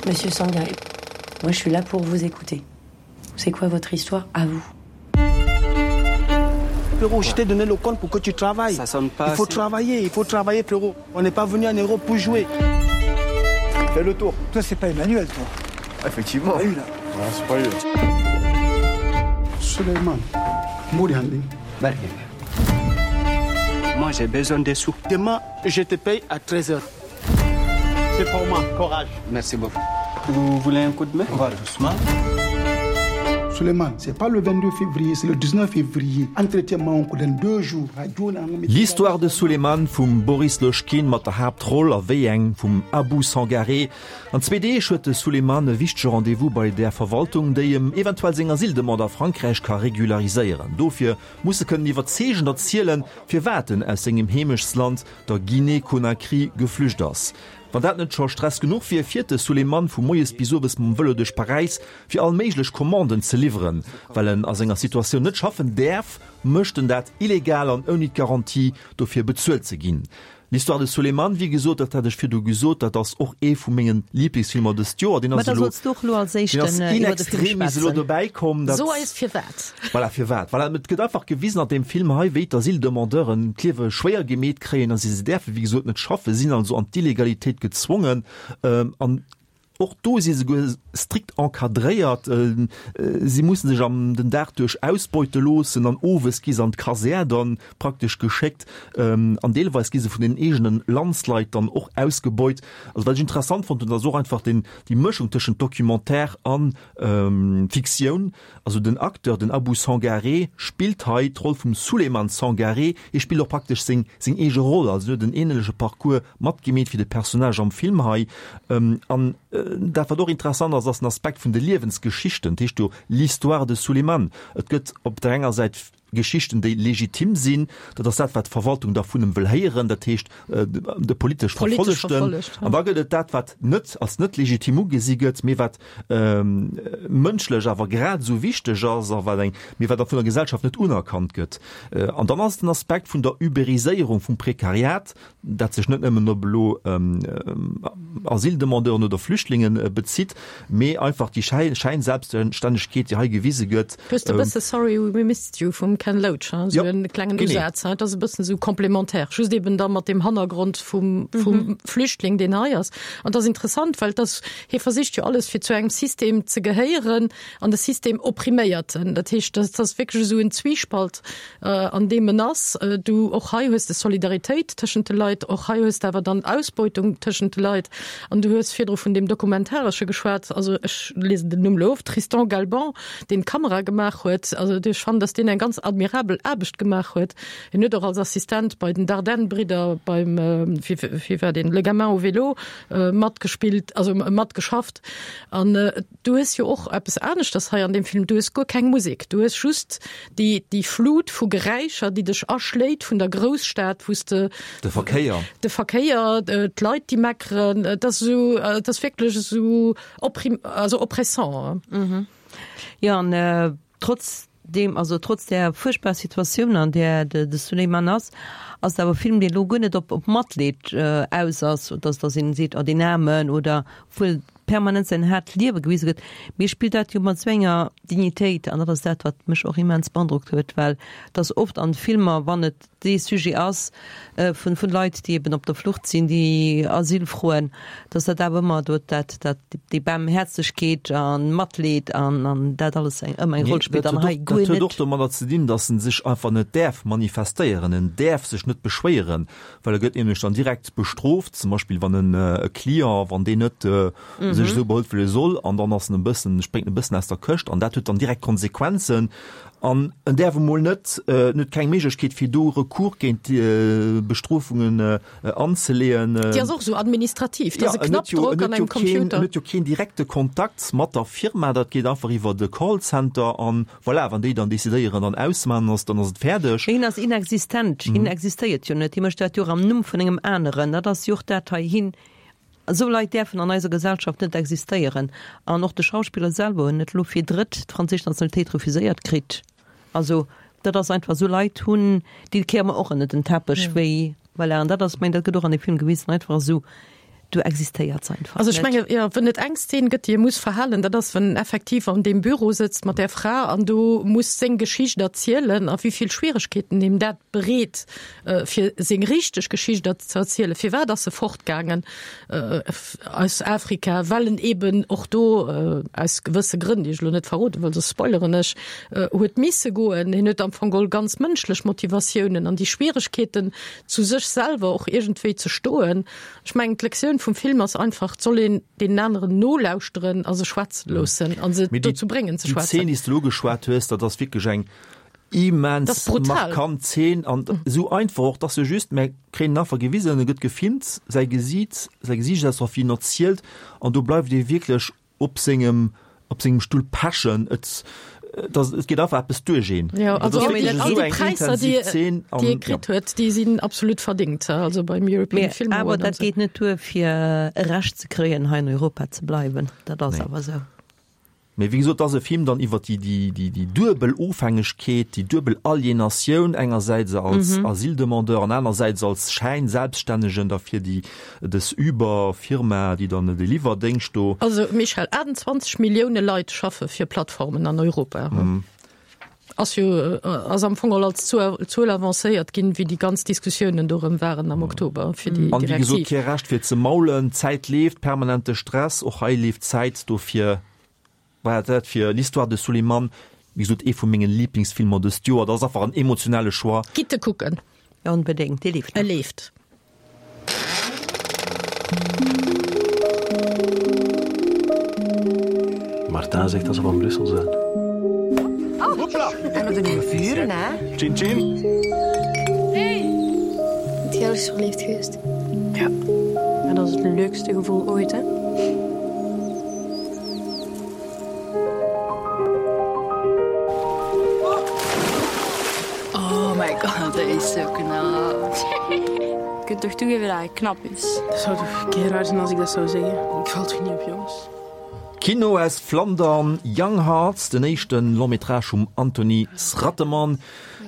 Speaker 8: Monsieur Sangaré, moi je suis là pour vous écouter. C'est quoi votre histoire à vous
Speaker 9: Frérot, je t'ai donné le compte pour que tu travailles.
Speaker 10: Ça sonne pas
Speaker 9: Il faut
Speaker 10: assez.
Speaker 9: travailler, il faut travailler, frérot. On n'est pas venu en Europe pour jouer.
Speaker 11: Fais le tour.
Speaker 12: Toi, c'est pas Emmanuel, toi.
Speaker 11: Effectivement.
Speaker 12: Pas eu, là.
Speaker 11: Non, c'est pas eu.
Speaker 13: Suleiman Mouriandi.
Speaker 10: Moi j'ai besoin des sous.
Speaker 9: Demain, je te paye à treize heures. C'est pour moi, courage.
Speaker 10: Merci beaucoup. Vous voulez un coup de main?
Speaker 11: On va doucement.
Speaker 13: Suleiman, c'est pas le vingt-deux février, c'est le dix-neuf février. Entretien dans deux jours.
Speaker 2: L'histoire de Suleiman vum Boris Lojkine mat der Haaptroll, a wéi eng, vum Abou Sangaré. An zwee Deeg huet de Suleiman e wichtege Rendez-vous bei der Verwaltung, déi em eventuell seng Asyldemande a Frankräich ka regulariséieren. Dofir muss e kënnen iwwerzeegend erzielen, firwat en aus sengem Heemechtsland, der Guinée-Conakry, geflücht ass. Wann dat net scho Stress genuch wier, fiert de Suleiman vu moies bis owes mam Vëlo duerch Paräis, fir all méiglech Commanden ze liwweren. Well en a senger Situatioun net schaffen däerf, mécht en dat illegal an ouni d'Garantie, dofir bezuelt ze ginn. L'histoire de Suleiman, wéi gesot, dat hat ech virdu gesot, dat ass och ee vu mengen Liblingsfilmer dëst Joer. Deen
Speaker 4: Ma
Speaker 2: ass
Speaker 4: da
Speaker 2: elo
Speaker 4: solls du och elo als
Speaker 2: deen ass
Speaker 4: éischten
Speaker 2: in
Speaker 4: iwwer de Film
Speaker 2: extremis elo
Speaker 4: schwätzen.
Speaker 2: dobäi komm, dat
Speaker 3: So eis firwat.
Speaker 2: Voilà, firwat. Voilà, et gëtt einfach gewisen an deem Film hei, wéi d'Asyldemandeuren d'Liewe schwéier gemeet kréien, a si se däerfe wéi gesot net schaffen, sinn also an d'Illegalitéit gezwongen, ähm, an och do si se souguer strikt encadréiert, äh, si mussen sech am den Dag duerch ausbeute loossen an owes gi se an d'Kasär dann praktesch geschéckt, ähm, an deelweis gi se vun den eegenen Landsleit dann och ausgebeut. Also wat ech interessant fonnt hunn, ass och einfach den, déi Mëschung tëschent Documentaire an, ähm, Fiktioun. Also den Acteur, den Abou Sangaré, spillt hei d'Roll vum Souleymane Sangaré, hie spillt och praktesch seng, seng eege Roll, also en huet en änleche Parcours matgemeet wéi de Personnage am Film hei. Ähm, an, äh, dat wat och interessant ass, ass den Aspekt vun de Liewensgeschichten, dat heescht jo l'histoire de Souleymane. Et gëtt op der enger Säit Geschichten, déi legitim sinn, dat ass dat, wat d'Verwaltung da vun em wëll héieren, dat heescht, äh, de politesch
Speaker 3: Politesch
Speaker 2: Verfollegten.
Speaker 3: verfollegt, ja.
Speaker 2: An da gëtt et dat, wat net als net legitim ugesi gëtt, mee wat, ähm, mënschlech awer grad esou wichteg ass a wat eng, mee wat da vun der Gesellschaft net unerkannt gëtt. Äh, an dann ass den Aspekt vun der Uberiséierung vum Prekariat, dat sech net nëmmen op elo, ähm, Asyldemandeuren oder Flüchtlingen, äh, bezitt, mee einfach déi Schei-, Scheinselbststännegkeet, déi hei gewise gëtt.
Speaker 3: Du hues e
Speaker 2: Ähm,
Speaker 3: bësse Sorry We Missed You vum Ken Loach, hein, esou
Speaker 2: Ja,
Speaker 3: en klengen
Speaker 2: genee.
Speaker 3: Usaz, hein, dat ass e bëssen esou komplementär, just eben da mat dem Hannergrond vum, vum
Speaker 4: Mhm.
Speaker 3: Flüchtling, deen hei ass. An dat ass interessant, well das, hie versicht jo alles fir zu engem System ze gehéieren an de System oppriméiert en. Dat heescht, dat ass wierklech esou en Zwiespalt, äh, an deem en ass. Äh, du och hei hues de Solidaritéit tëschent de Leit, och hei hues de awer dann Ausbeutung tëschent de Leit. An du hues virdru vun deem Dokumentaresche geschwat, also ech liesen den Numm elo of, Tristan Galban, deen d'Kamera gemaach huet, also ech fannen, dass deen eng ganz admirabel Aarbecht gemaach huet. Hien huet och als Assistent bei den Dardenne-Bridder beim, äh, wéi, wéi war deen, Le Gamin au vélo, äh, matgespillt, also matgeschafft. An, äh, du hues jo och eppes aneschters hei an deem Film, du hues guer keng Musek, du hues just déi, déi Flut vu Geräischer, déi dech aschléit vun der Grousstad, wou s de
Speaker 2: De Verkéier.
Speaker 3: De Verkéier, äh, d'Leit, déi meckeren, dat ass esou, äh, dat ass wierklech esou opprim-, also oppressant.
Speaker 4: Mhm. Jo, an, äh, trotz deem, also trotz där fuerchtbarer Situatioun, an där de, de Suleiman ass, ass et awer e Film, deen elo guer net op, op Matleed, äh, aus ass, dass, dass een seet, oh, deen Aarmen, oder obwuel permanent säin haart Liewe gewise gëtt, mee spillt dat jo mat esou enger Dignitéit, an dat ass dat, wat mech och immens beandrockt huet, well dass oft an Filmer, wann et dee Sujet ass, äh, vun, vun Leit, déi eben op der Flucht sinn, déi Asyl froen, dass dat awer ëmmer do dat, dat, déi Baarmhäerzegkeet an Matleed an, an dat alles eng, ëmmer eng
Speaker 2: Nee,
Speaker 4: Roll spillt,
Speaker 2: dat
Speaker 4: an
Speaker 2: huet
Speaker 4: hei
Speaker 2: och,
Speaker 4: guer
Speaker 2: dat huet
Speaker 4: net.
Speaker 2: och domadder ze dinn, dass en sech einfach net däerf manifestéieren, en däerf sech net beschwéieren, well e gëtt nämlech dann direkt bestrooft, zum Beispill wann en, äh, e Client, wann deen net, äh,
Speaker 4: Mhm.
Speaker 2: sech esou behëlt wéi e soll, an dann ass en e bëssen, spréngt en e bëssen aus der Këscht, an dat huet dann direkt Konsequenzen. An en däerf emol net, äh, net keng Méiglechkeet fir do Recours géint déi, äh, Bestrofungen, äh, anzeleeën.
Speaker 3: Déi ass och esou administrativ, dat
Speaker 2: Ja,
Speaker 3: ass e
Speaker 2: en huet jo,
Speaker 3: Knappdrock
Speaker 2: en huet
Speaker 3: an
Speaker 2: jo
Speaker 3: engem
Speaker 2: keen,
Speaker 3: Computer.
Speaker 2: en huet jo keen direkte Kontakt mat der Firma, dat geet einfach iwwer de Callcenter an voilà, wann déi dann decidéieren, dann ausman ass, dann ass et fäerdeg.
Speaker 4: Hien ass inexistent,
Speaker 2: Mhm.
Speaker 4: hien existéiert jo net, hie mécht dat jo am Numm vun engem aneren, dat ass jo och dat hei hin. Esou Leit däerfen an eiser Gesellschaft net existéieren. An och de Schauspiller selwer huet net elo fir drëtt d'franséisch Nationalitéit refuséiert kritt. Also dat ass einfach, esou Leit hunn, déi kéiere mer och ënner den Teppech,
Speaker 3: Ja.
Speaker 4: wéi, voilà, an dat ass, meng, dat gëtt och an dem Film gewisen, einfach esou Do existéiert se einfach
Speaker 3: Also ech
Speaker 4: net.
Speaker 3: menge jo, wann et eng Szen gëtt, déi e muss verhalen, dat ass, wann en effektiv an deem Büro sëtzt mat där Fra an do muss seng Geschicht erzielen a wéi vill Schwieregkeeten him dat bereet, fir seng richteg Geschicht ze erzielen. Firwat ass e fortgaangen aus Afrika? Well en eben och do aus gewësse Grënn, déi ech elo net verrode wëll, soss spoileren ech, huet misse goen. Hien huet am Fong geholl ganz mënschlech Motivatiounen an déi Schwieregkeeten zu sech selwer och iergendwéi ze stoen. Ech mengen, d'Lektioun vum Film ass einfach, et soll een deenen aneren nolauschteren a se schwätze loossen a se
Speaker 2: Mee déi,
Speaker 3: dozou bréngen ze
Speaker 2: déi
Speaker 3: schwätzen.
Speaker 2: Zeen, déi s de elo ugeschwat hues, dat ass wierklech eng immens
Speaker 3: Dat ass brutal.
Speaker 2: markant Zeen an esou einfach och, dass se just, mir kréien en Affer gewisen, e gëtt gefilmt, säi Gesiit, säi Gesiichtsausdrock, wéi en erzielt an do bleift ee wierklech op sengem, op sengem Stull pechen. Et, et et geet einfach eppes duerch een.
Speaker 3: Jo,
Speaker 2: Dat
Speaker 3: also
Speaker 2: ass
Speaker 3: all
Speaker 2: wierklech
Speaker 3: déi, all
Speaker 2: esou
Speaker 3: déi
Speaker 2: eng
Speaker 3: Präisser, déi,
Speaker 2: intensiv Zeen
Speaker 3: déi e
Speaker 2: an, ja.
Speaker 3: kritt huet, déi sinn absolut verdingt, also beim European
Speaker 4: Mee
Speaker 3: Film
Speaker 4: awer
Speaker 3: Award an
Speaker 4: dat
Speaker 3: esou.
Speaker 4: geet net duer, fir e Recht ze kréien, hei in Europa ze bleiwen. Dat ass
Speaker 2: Nee.
Speaker 4: awer esou.
Speaker 2: Mee wéi gesot, ass e Film dann iwwer déi, déi, déi, déi duebel Ofhängegkeet, déi duebel Alienatioun, engersäits als
Speaker 4: Mhm.
Speaker 2: Asyldemandeur an anersäits als Schäinselbststännegen da fir déi, dës Uber-Firma, déi dann de Liwwerdéngscht do.
Speaker 3: Also Michèle, achtundzwanzeg Millioune Leit schaffe fir Plattformen an Europa.
Speaker 2: Mhm.
Speaker 3: Ass jo, ass am Fong geholl als Zuel avancéiert ginn, wéi déi ganz Diskussiounen dorëm waren am Oktober fir déi
Speaker 2: An wéi gesot,
Speaker 3: Direktiv.
Speaker 2: kee Recht fir ze maulen, d'Zäit leeft, permanente Stress, och hei leeft d'Zäit, dofir war dat fir L'histoire de Souleymane, wéi gesot, ee vu mengen Lieblingsfilmer dëst Joer. Dat ass einfach en emotionale Choix.
Speaker 3: Gitt e kucken.
Speaker 4: Ja, onbedéngt, dee leeft
Speaker 3: E
Speaker 4: nach.
Speaker 3: leeft.
Speaker 7: Martin zegt dat ze van Brussel zijn.
Speaker 12: Oh. Hopla. En met de nieuwe vuren, hè?
Speaker 7: Tjin, tjin.
Speaker 12: Hey.
Speaker 14: Het jij is verliefd geweest?
Speaker 8: Ja. En dat is het leukste gevoel ooit, hè?
Speaker 15: Oh my god, dat is zo knap.
Speaker 16: Je kunt toch toegeven dat hij knap is?
Speaker 6: Dat zou toch keer raar zijn als ik dat zou zeggen? Ik val toch niet op jongens?
Speaker 2: Kino aus Flandern, Young Hearts, den éischte Long-métrage vum Anthony Sratteman,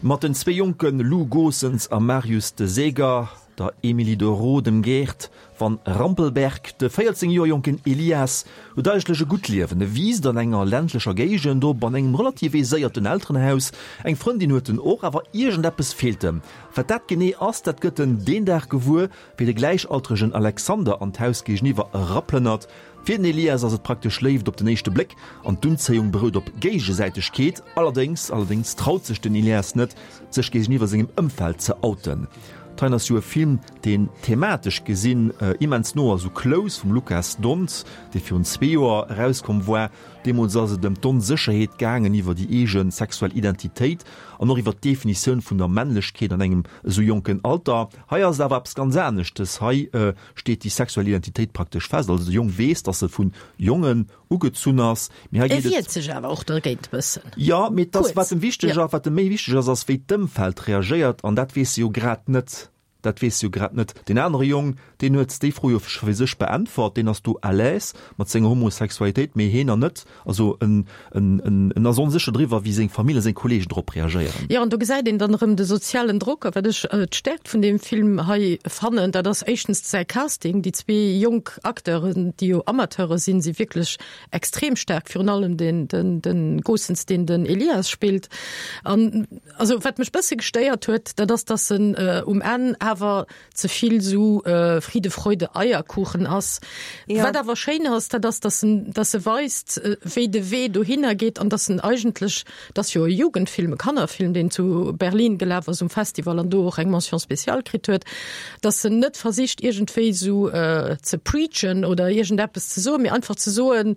Speaker 2: mat den zwee jonke Lou Goossens a Marius de Zeger, der Emilie de Roo, dem Geert van Rampelberg. De véierzéng Joer jonken Elias huet eigentlech e gutt Liewen. E wiisst an enger ländlecher Géigend op, an engem relativ aiséierten Elterenhaus. Eng Frëndin huet en och, awer iergendeppes feelt em. Wat dat genee ass, dat gëtt en deen Dag gewuer, wéi de gläichaltregen Alexander an d'Haus géigeniwwer eraplënnert. Fir den Elias ass et praktesch Léift op den éischte Bléck an d'Unzéiung berout op Géigesäitegkeet. Allerdéngs, allerdéngs traut sech den Elias net, sech géigeniwwer sengem Ëmfeld ze outen. D'heien ass jo e Film, deen thematesch gesinn immens no ass u Close vum Lukas Dhont, dee virun zwee Joer erauskomm war. Deemools ass et ëm d'Onsécherheet gaangen iwwer déi eege sexuell Identitéit an och iwwer d'Definitioun vun der Männlechkeet an engem esou jonken Alter. Hei ass et awer eppes ganz aneschtes. Hei steet déi sexuell Identitéit praktesch fest. Also de Jong weess, dass e vu Jongen ugezunn ass. Mee hei
Speaker 3: E
Speaker 2: geet et.
Speaker 3: wiert sech awer och dergéint e bëssen.
Speaker 2: Jo, mee et ass,
Speaker 3: Kuerz.
Speaker 2: wat em wichteg
Speaker 3: Jo.
Speaker 2: ass, wat em méi wichteg ass, ass wéi d'Ëmfeld reagéiert an dat weess e jo grad net. Dat weess e jo grad net. Deen anere Jong, deen huet déi Fro jo scho fir sech beäntwert, deen ass do à l'aise mat senger Homosexualitéit, mee heen nach net. Also en, en, en, en ass onsécher driwwer, wéi seng Famill a seng Kolleegen drop reagéieren.
Speaker 3: Jo, an do gesäit een dann erëm de sozialen Drock. A wat ech d'Stäerkt vun deem Film hei fannen, dat ass éischtens säi Casting. Déi zwee jonk Acteuren, déi jo Amateure sinn, si wierklech extrem staark, virun allem den, den, den Goossens, deen den Elias spillt. An also wat mech bësse gestéiert huet, dat ass, dass en um Enn awer ze vill sou Friede, Freude, Eierkuchen ass.
Speaker 4: Ja.
Speaker 3: Wat awer schéin ass, dat ass, dass en, dass e weist, wéi de Wee dohinner geet an dass en eigentlech, dat ass jo e Jugendfilm, e Kannerfilm, deen zu Berlin gelaf ass um Festival an do och eng Mention spéciale kritt huet, dass en net versicht iergendwéi sou ze preachen oder iergendeppes ze soen, mee einfach ze soen,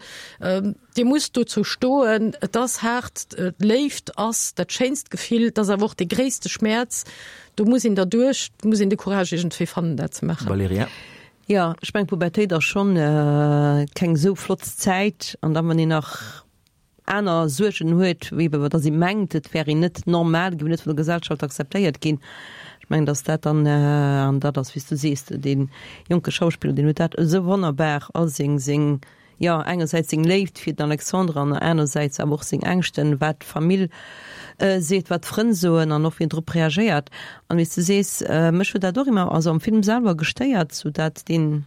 Speaker 3: Dir musst dozou stoen, et ass haart, d'Léift ass dat schéinst Gefill, et ass awer och dee gréisste Schmäerz, do muss een derduerch, do muss een de Courage iergendwéi fannen, dat ze maachen.
Speaker 2: Valerija.
Speaker 4: Jo, ech mengen, d'Pubertéit ass schonn keng esou flott Zäit an da wann een nach aner Suergen huet, wéi eben, datt ee mengt, et wär een net normal, géif net vun der Gesellschaft akzeptéiert ginn. Ech mengen, datt dat dann, an dat ass, wéi s du sees, dee jonke Schauspiller, deen huet dat esou wonnerbar all seng, seng, jo, engersäits seng Léift fir den Alexandre an anersäits awer och seng Ängschten, wat d'Famill seet, wat d'Frënn soen an och wéi en drop reagéiert. An wéi s du sees, mech huet dat och ëmmer, also am Film selwer gestéiert, sou dat deen,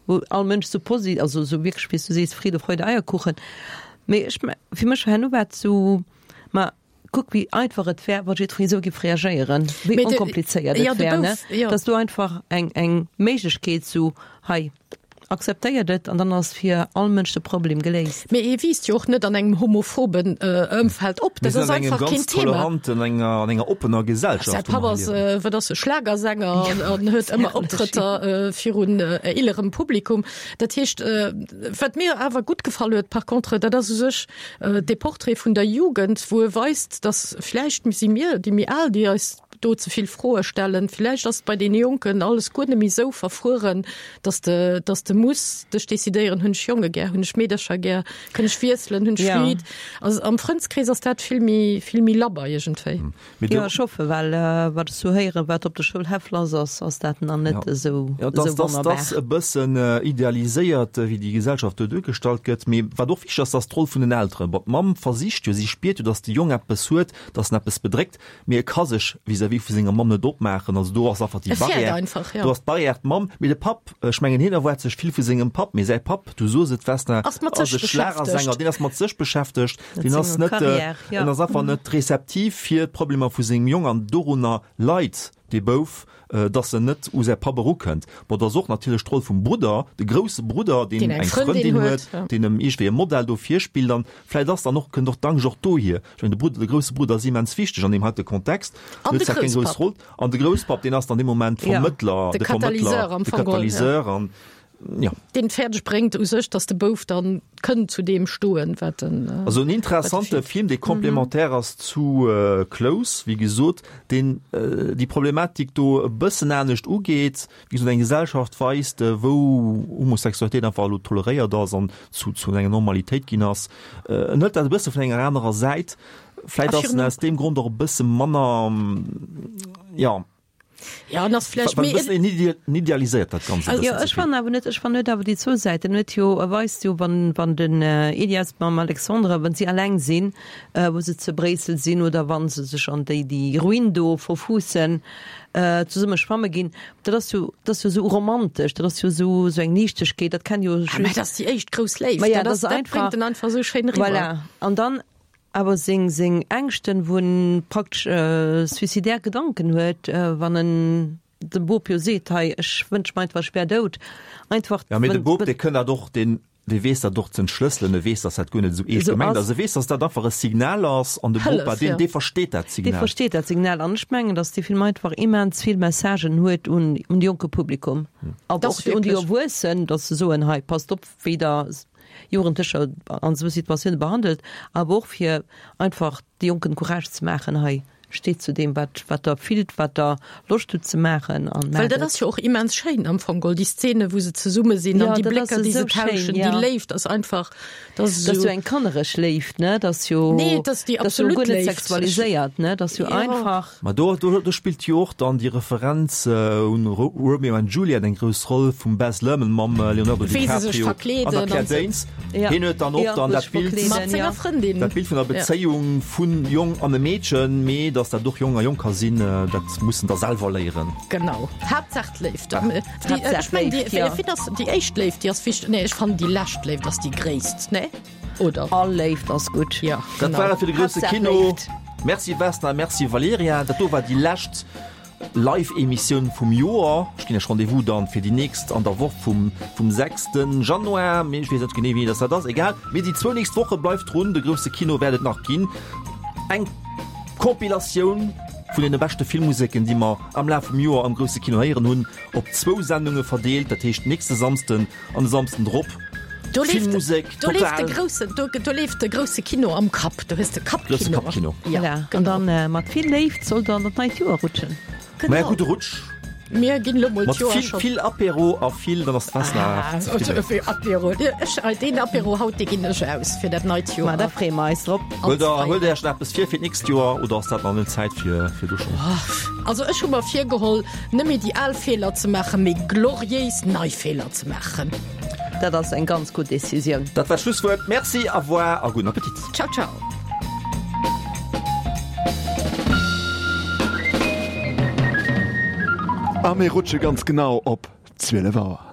Speaker 4: wou all Mënsch sou posi, also sou wierklech, wéi s du sees, Friede, Freude, Eierkuchen. Mee ech, fir mech herno war et sou, ma kuck wéi einfach et wär, wa jiddweree sou géif reagéieren, wéi onkomplizéiert et wär, ne? Dass du einfach eng, eng Méiglechkeet sou, hei, akzeptéiert et an dann ass fir all Mënsch de Problem geléist.
Speaker 3: Mee ee wiisst jo och net an engem homophoben Ëmfeld op,
Speaker 2: Mir
Speaker 3: dat
Speaker 2: sinn
Speaker 3: ass
Speaker 2: an engem
Speaker 3: einfach keen
Speaker 2: ganz
Speaker 3: Thema.
Speaker 2: toleranten, enger, an enger oppener
Speaker 3: Säi
Speaker 2: Gesellschaft, wou
Speaker 3: Papp
Speaker 2: mer
Speaker 3: ass,
Speaker 2: liewen.
Speaker 3: wat ass e, Schlagersänger an, an huet ëmmer Optrëtter virun eelerem Publikum. Dat heescht, wat mir awer gutt gefall huet par contre, dat ass u sech dee Portrait vun der Jugend, wou e weist, datt vläicht si mir, déi méi al, déi eis do ze vill Froe stellen. Villäicht ass et bei deene Jonken alles guer net méi esou verfrueren, dass de, dass de muss dech decidéieren, hunn ech Jonge gär, hunn ech Meedercher gär, kënn ech wiesselen, hunn ech
Speaker 4: Ja.
Speaker 3: Fluid. Also am Frëndskrees ass dat vill méi, vill méi labber iergendwéi.
Speaker 2: Mee do,
Speaker 4: Jo, ech hoffen, well wat ech sou héieren, wat op de Schoulhäff lass ass, ass dat nach net
Speaker 2: Ja.
Speaker 4: esou,
Speaker 2: Ja, dass,
Speaker 4: esou
Speaker 2: dass,
Speaker 4: wonnerbar.
Speaker 2: dass e bëssen idealiséiert, wéi déi Gesellschaft do duergestallt gëtt. Mee wat och wichteg ass, ass d'Roll vun den Elteren. Bon, d'Mamm versicht jo, si spiert jo, dass de Jong eppes huet, dass en eppes bedréckt, mee e ka sech vis-à-vis vu senger Mamm net opmaachen. Also do ass einfach déi
Speaker 3: E fäert
Speaker 2: Barrière.
Speaker 3: einfach, ja.
Speaker 2: Do ass d'Barrière d'Mamm. Mee de Papp, ech mengen, hien erwaart sech vill vu sengem Papp, mee säi Papp, du sos et, Vesna,
Speaker 3: Ass mat
Speaker 2: ass
Speaker 3: sech
Speaker 2: e Schlagersänger,
Speaker 3: beschäftegt.
Speaker 2: deen ass mat sech beschäftegt,
Speaker 4: Mat
Speaker 2: deen ass
Speaker 4: senger
Speaker 2: net,
Speaker 4: Carrière, ja.
Speaker 2: en ass einfach net rezeptiv fir d'Problemer vu sengem Jong an dorunner leit dee Bouf, dass en net u säi Papp erukënnt. Bon, dat ass och natierlech d'Roll vum Brudder, de grousse Brudder, deen
Speaker 3: Deen eng
Speaker 2: eng
Speaker 3: Frëndin
Speaker 2: Frëndin
Speaker 3: huet,
Speaker 2: huet,
Speaker 3: ja.
Speaker 2: deen em iergendwéi e Modell do virspillt an vläicht ass dann och, kënnt och d'Angscht och dohier. Ech mengen, de Brudder, de grousse Brudder ass immens wichteg an deem heite Kontext,
Speaker 3: An
Speaker 2: huet
Speaker 3: de
Speaker 2: zwar keng grouss
Speaker 3: Grousspapp.
Speaker 2: Roll, an de Grousspapp, deen ass dann dee Moment
Speaker 4: Ja.
Speaker 2: Vermëttler,
Speaker 3: De
Speaker 2: de Vermëttler,
Speaker 3: Katalyseur am
Speaker 2: de
Speaker 3: Fong geholl, ja.
Speaker 2: Katalyseur an, ja.
Speaker 3: Deen et fäerdeg bréngt u sech, dass de Bouf dann kënnt zu deem stoen, wat en,
Speaker 2: Also en
Speaker 3: wat e
Speaker 2: interessante
Speaker 3: fillt.
Speaker 2: Film, dee complémentaire ass zu Close, wéi gesot, deen déi Problematik do e bëssen anescht ugeet, wéi gesot eng Gesellschaft weist, wou Homosexualitéit einfach elo toleréiert ass an zu zu enger Normalitéit ginn ass. En hëlt dat e bësse vun enger anerer Säit. Vläit
Speaker 3: A
Speaker 2: ass en
Speaker 3: virun
Speaker 2: aus deem Grond och e bësse manner, jo.
Speaker 3: Ja, an ass vläicht
Speaker 2: Well
Speaker 3: méi
Speaker 2: e bëssen en idea- en idealiséiert dat Ganzt e
Speaker 4: Jo,
Speaker 2: bëssen ze
Speaker 4: ech
Speaker 2: vill.
Speaker 4: fannen awer net, ech fannen huet awer déi zwou Säiten. En huet jo, e weist jo, wann, wann den Elias mam Alexandre, wann si alleng sinn, wou se zu Bréissel sinn oder wann se sech an déi, déi Ruin do verfuussen, zesumme schwamme ginn, dat ass jo, dat ass jo esou romantesch, dat ass jo esou, esou eng Liichtegkeet, dat kann jo
Speaker 3: Ah, mä
Speaker 4: just.
Speaker 3: dat ass déi éischt grouss Léift,
Speaker 4: Ma ja,
Speaker 3: dat
Speaker 4: dat
Speaker 3: ass,
Speaker 4: ass
Speaker 3: dat
Speaker 4: einfach,
Speaker 3: bréngt en einfach esou schéin eriwwer.
Speaker 4: Voilà. An dann awer seng, seng Ängschten, wou en praktesch suicidaire Gedanken huet, wann en dem Bop jo seet, hei, ech wënsch mer einfach, ech wär dout. Einfach,
Speaker 2: Ja, mee de
Speaker 4: wann,
Speaker 2: Bop, dee kënn dat och, deen, dee weess dat och ze entschlësselen, e weess, dass dat guer net esou eescht
Speaker 4: Esou
Speaker 2: gemengt
Speaker 4: ass.
Speaker 2: ass, e weess, dass dat einfach e Signal ass an de
Speaker 3: Hëllef,
Speaker 2: Bopa, deen,
Speaker 3: ja.
Speaker 2: dee versteet dat
Speaker 4: Dee
Speaker 2: Signal.
Speaker 4: versteet dat Signal. An ech mengen, dass dee Film einfach immens vill Messagen huet un, un de jonke Publikum, awer
Speaker 3: Dat
Speaker 4: och un déi
Speaker 3: wierklech.
Speaker 4: Erwuessen, dass se soen, hei, passt op, wéi Der Jugendlecher an esou Situatioune behandelt, awer och fir einfach de Jonken Courage ze maachen, hei, steet zu deem, wat, wat der fillt, wat der Loscht hutt ze maachen an
Speaker 3: Well
Speaker 4: maacht
Speaker 3: dat
Speaker 4: et.
Speaker 3: ass jo och immens schéin am Fong geholl, déi Szene, wou se zesumme sinn
Speaker 4: Ja,
Speaker 3: an déi
Speaker 4: dat ass
Speaker 3: Blécker, déi se
Speaker 4: esou schéin,
Speaker 3: tauschen,
Speaker 4: ja.
Speaker 3: déi Léift ass einfach, dat ass
Speaker 4: Dat ass jo
Speaker 3: esou.
Speaker 4: eng kannereg Léift, ne? Dat ass jo,
Speaker 3: Nee, dat ass déi
Speaker 4: dat ass jo
Speaker 3: absolut
Speaker 4: guer net
Speaker 3: Léift.
Speaker 4: sexualiséiert, ne? Dat ass jo
Speaker 3: Jo.
Speaker 4: einfach.
Speaker 2: Ma do, do, do spillt jo och dann déi Referenz un Romeo and Juliet eng grouss Roll vum Baz Luhrmann mam Leonardo
Speaker 3: Wéi se sech
Speaker 2: DiCaprio an
Speaker 3: verkleeden
Speaker 2: der Claire
Speaker 3: an sou.
Speaker 2: Danes.
Speaker 4: Ja.
Speaker 2: Hien huet dann och
Speaker 4: Ja,
Speaker 2: dann
Speaker 4: wou
Speaker 2: dat
Speaker 4: sech
Speaker 2: Bild,
Speaker 4: verkleeden,
Speaker 3: Mat senger
Speaker 4: ja.
Speaker 3: Frëndin.
Speaker 2: dat Bild vun der
Speaker 3: Ja.
Speaker 2: Bezéiung vun Jong an e Meedchen, mee dass dat och Jong a Jong ka sinn, dat muss en da selwer léieren.
Speaker 3: Genau. Haaptsaach d'Léift. Déi,
Speaker 4: Haaptsaach
Speaker 3: ech mengen, déi,
Speaker 4: d'Léift, ja.
Speaker 3: fir ass déi éischt Léift, déi ass wichteg. Nee, ech fannen déi lescht Léift ass déi gréisst, nee? Oder?
Speaker 4: All Léift ass gutt.
Speaker 3: Ja,
Speaker 2: Dat
Speaker 3: genau.
Speaker 2: war et fir de grousse
Speaker 4: Haaptsaach
Speaker 2: Kino.
Speaker 4: Léift.
Speaker 2: Merci Vesna, merci Valerija. Dat do war déi lescht Live-Emissioun vum Joer. Ech ginn Iech Rendez-vous dann fir déi nächst an der Woch vum vum sechsten Januar, mee ech weess net genee wéini dass dat ass, egal. Mee déi zwou nächst Woche bleift drun, de grousse Kino wäert et nach ginn. Eng Compilatioun vun deene beschte Filmmuseken, déi mer am Laf vum Joer am grousse Kino héieren hunn, op zwou Sendunge verdeelt, dat heescht nächste Samsden an de Samsden drop.
Speaker 3: Do leeft,
Speaker 2: Filmmusek,
Speaker 3: do leeft de
Speaker 2: total.
Speaker 3: groussen, do, do leeft de grousse Kino am Kapp. Du hues de
Speaker 2: Grousse
Speaker 3: Kappkino.
Speaker 2: Kappkino.
Speaker 3: Ja,
Speaker 4: Voilà. An
Speaker 3: genau.
Speaker 4: dann mat vill Léift sollt der an dat neit Joer rutschen.
Speaker 2: Maja,
Speaker 3: Genau.
Speaker 2: gudde Rutsch.
Speaker 3: Mir ginn elo mol
Speaker 2: Mat
Speaker 3: d'Joer
Speaker 2: vill,
Speaker 3: schon.
Speaker 2: vill Apéro a vill, dann ass d'Festnacht
Speaker 3: Ah,
Speaker 2: zefridden.
Speaker 3: Apéro. Ech, deen Apéro haut, dee ginn ech aus fir dat neit
Speaker 4: Ma
Speaker 3: Joer.
Speaker 4: da freeë mer eis drop.
Speaker 2: Huelt der, huelt der Iech nach eppes vir fir d'nächst Joer oder ass dat nach net Zäit fir, fir do schonn?
Speaker 3: Also ech hu mer virgeholl, net méi déi al Feeler ze maachen, mee gloriéis nei Feeler ze maachen.
Speaker 4: Dat ass eng ganz gutt Decisioun.
Speaker 2: Dat war d'Schlusswuert. Merci, au revoir a gudden Appetit.
Speaker 3: Ciao, ciao.
Speaker 17: A mir rutsche ganz genau op zwielef Auer.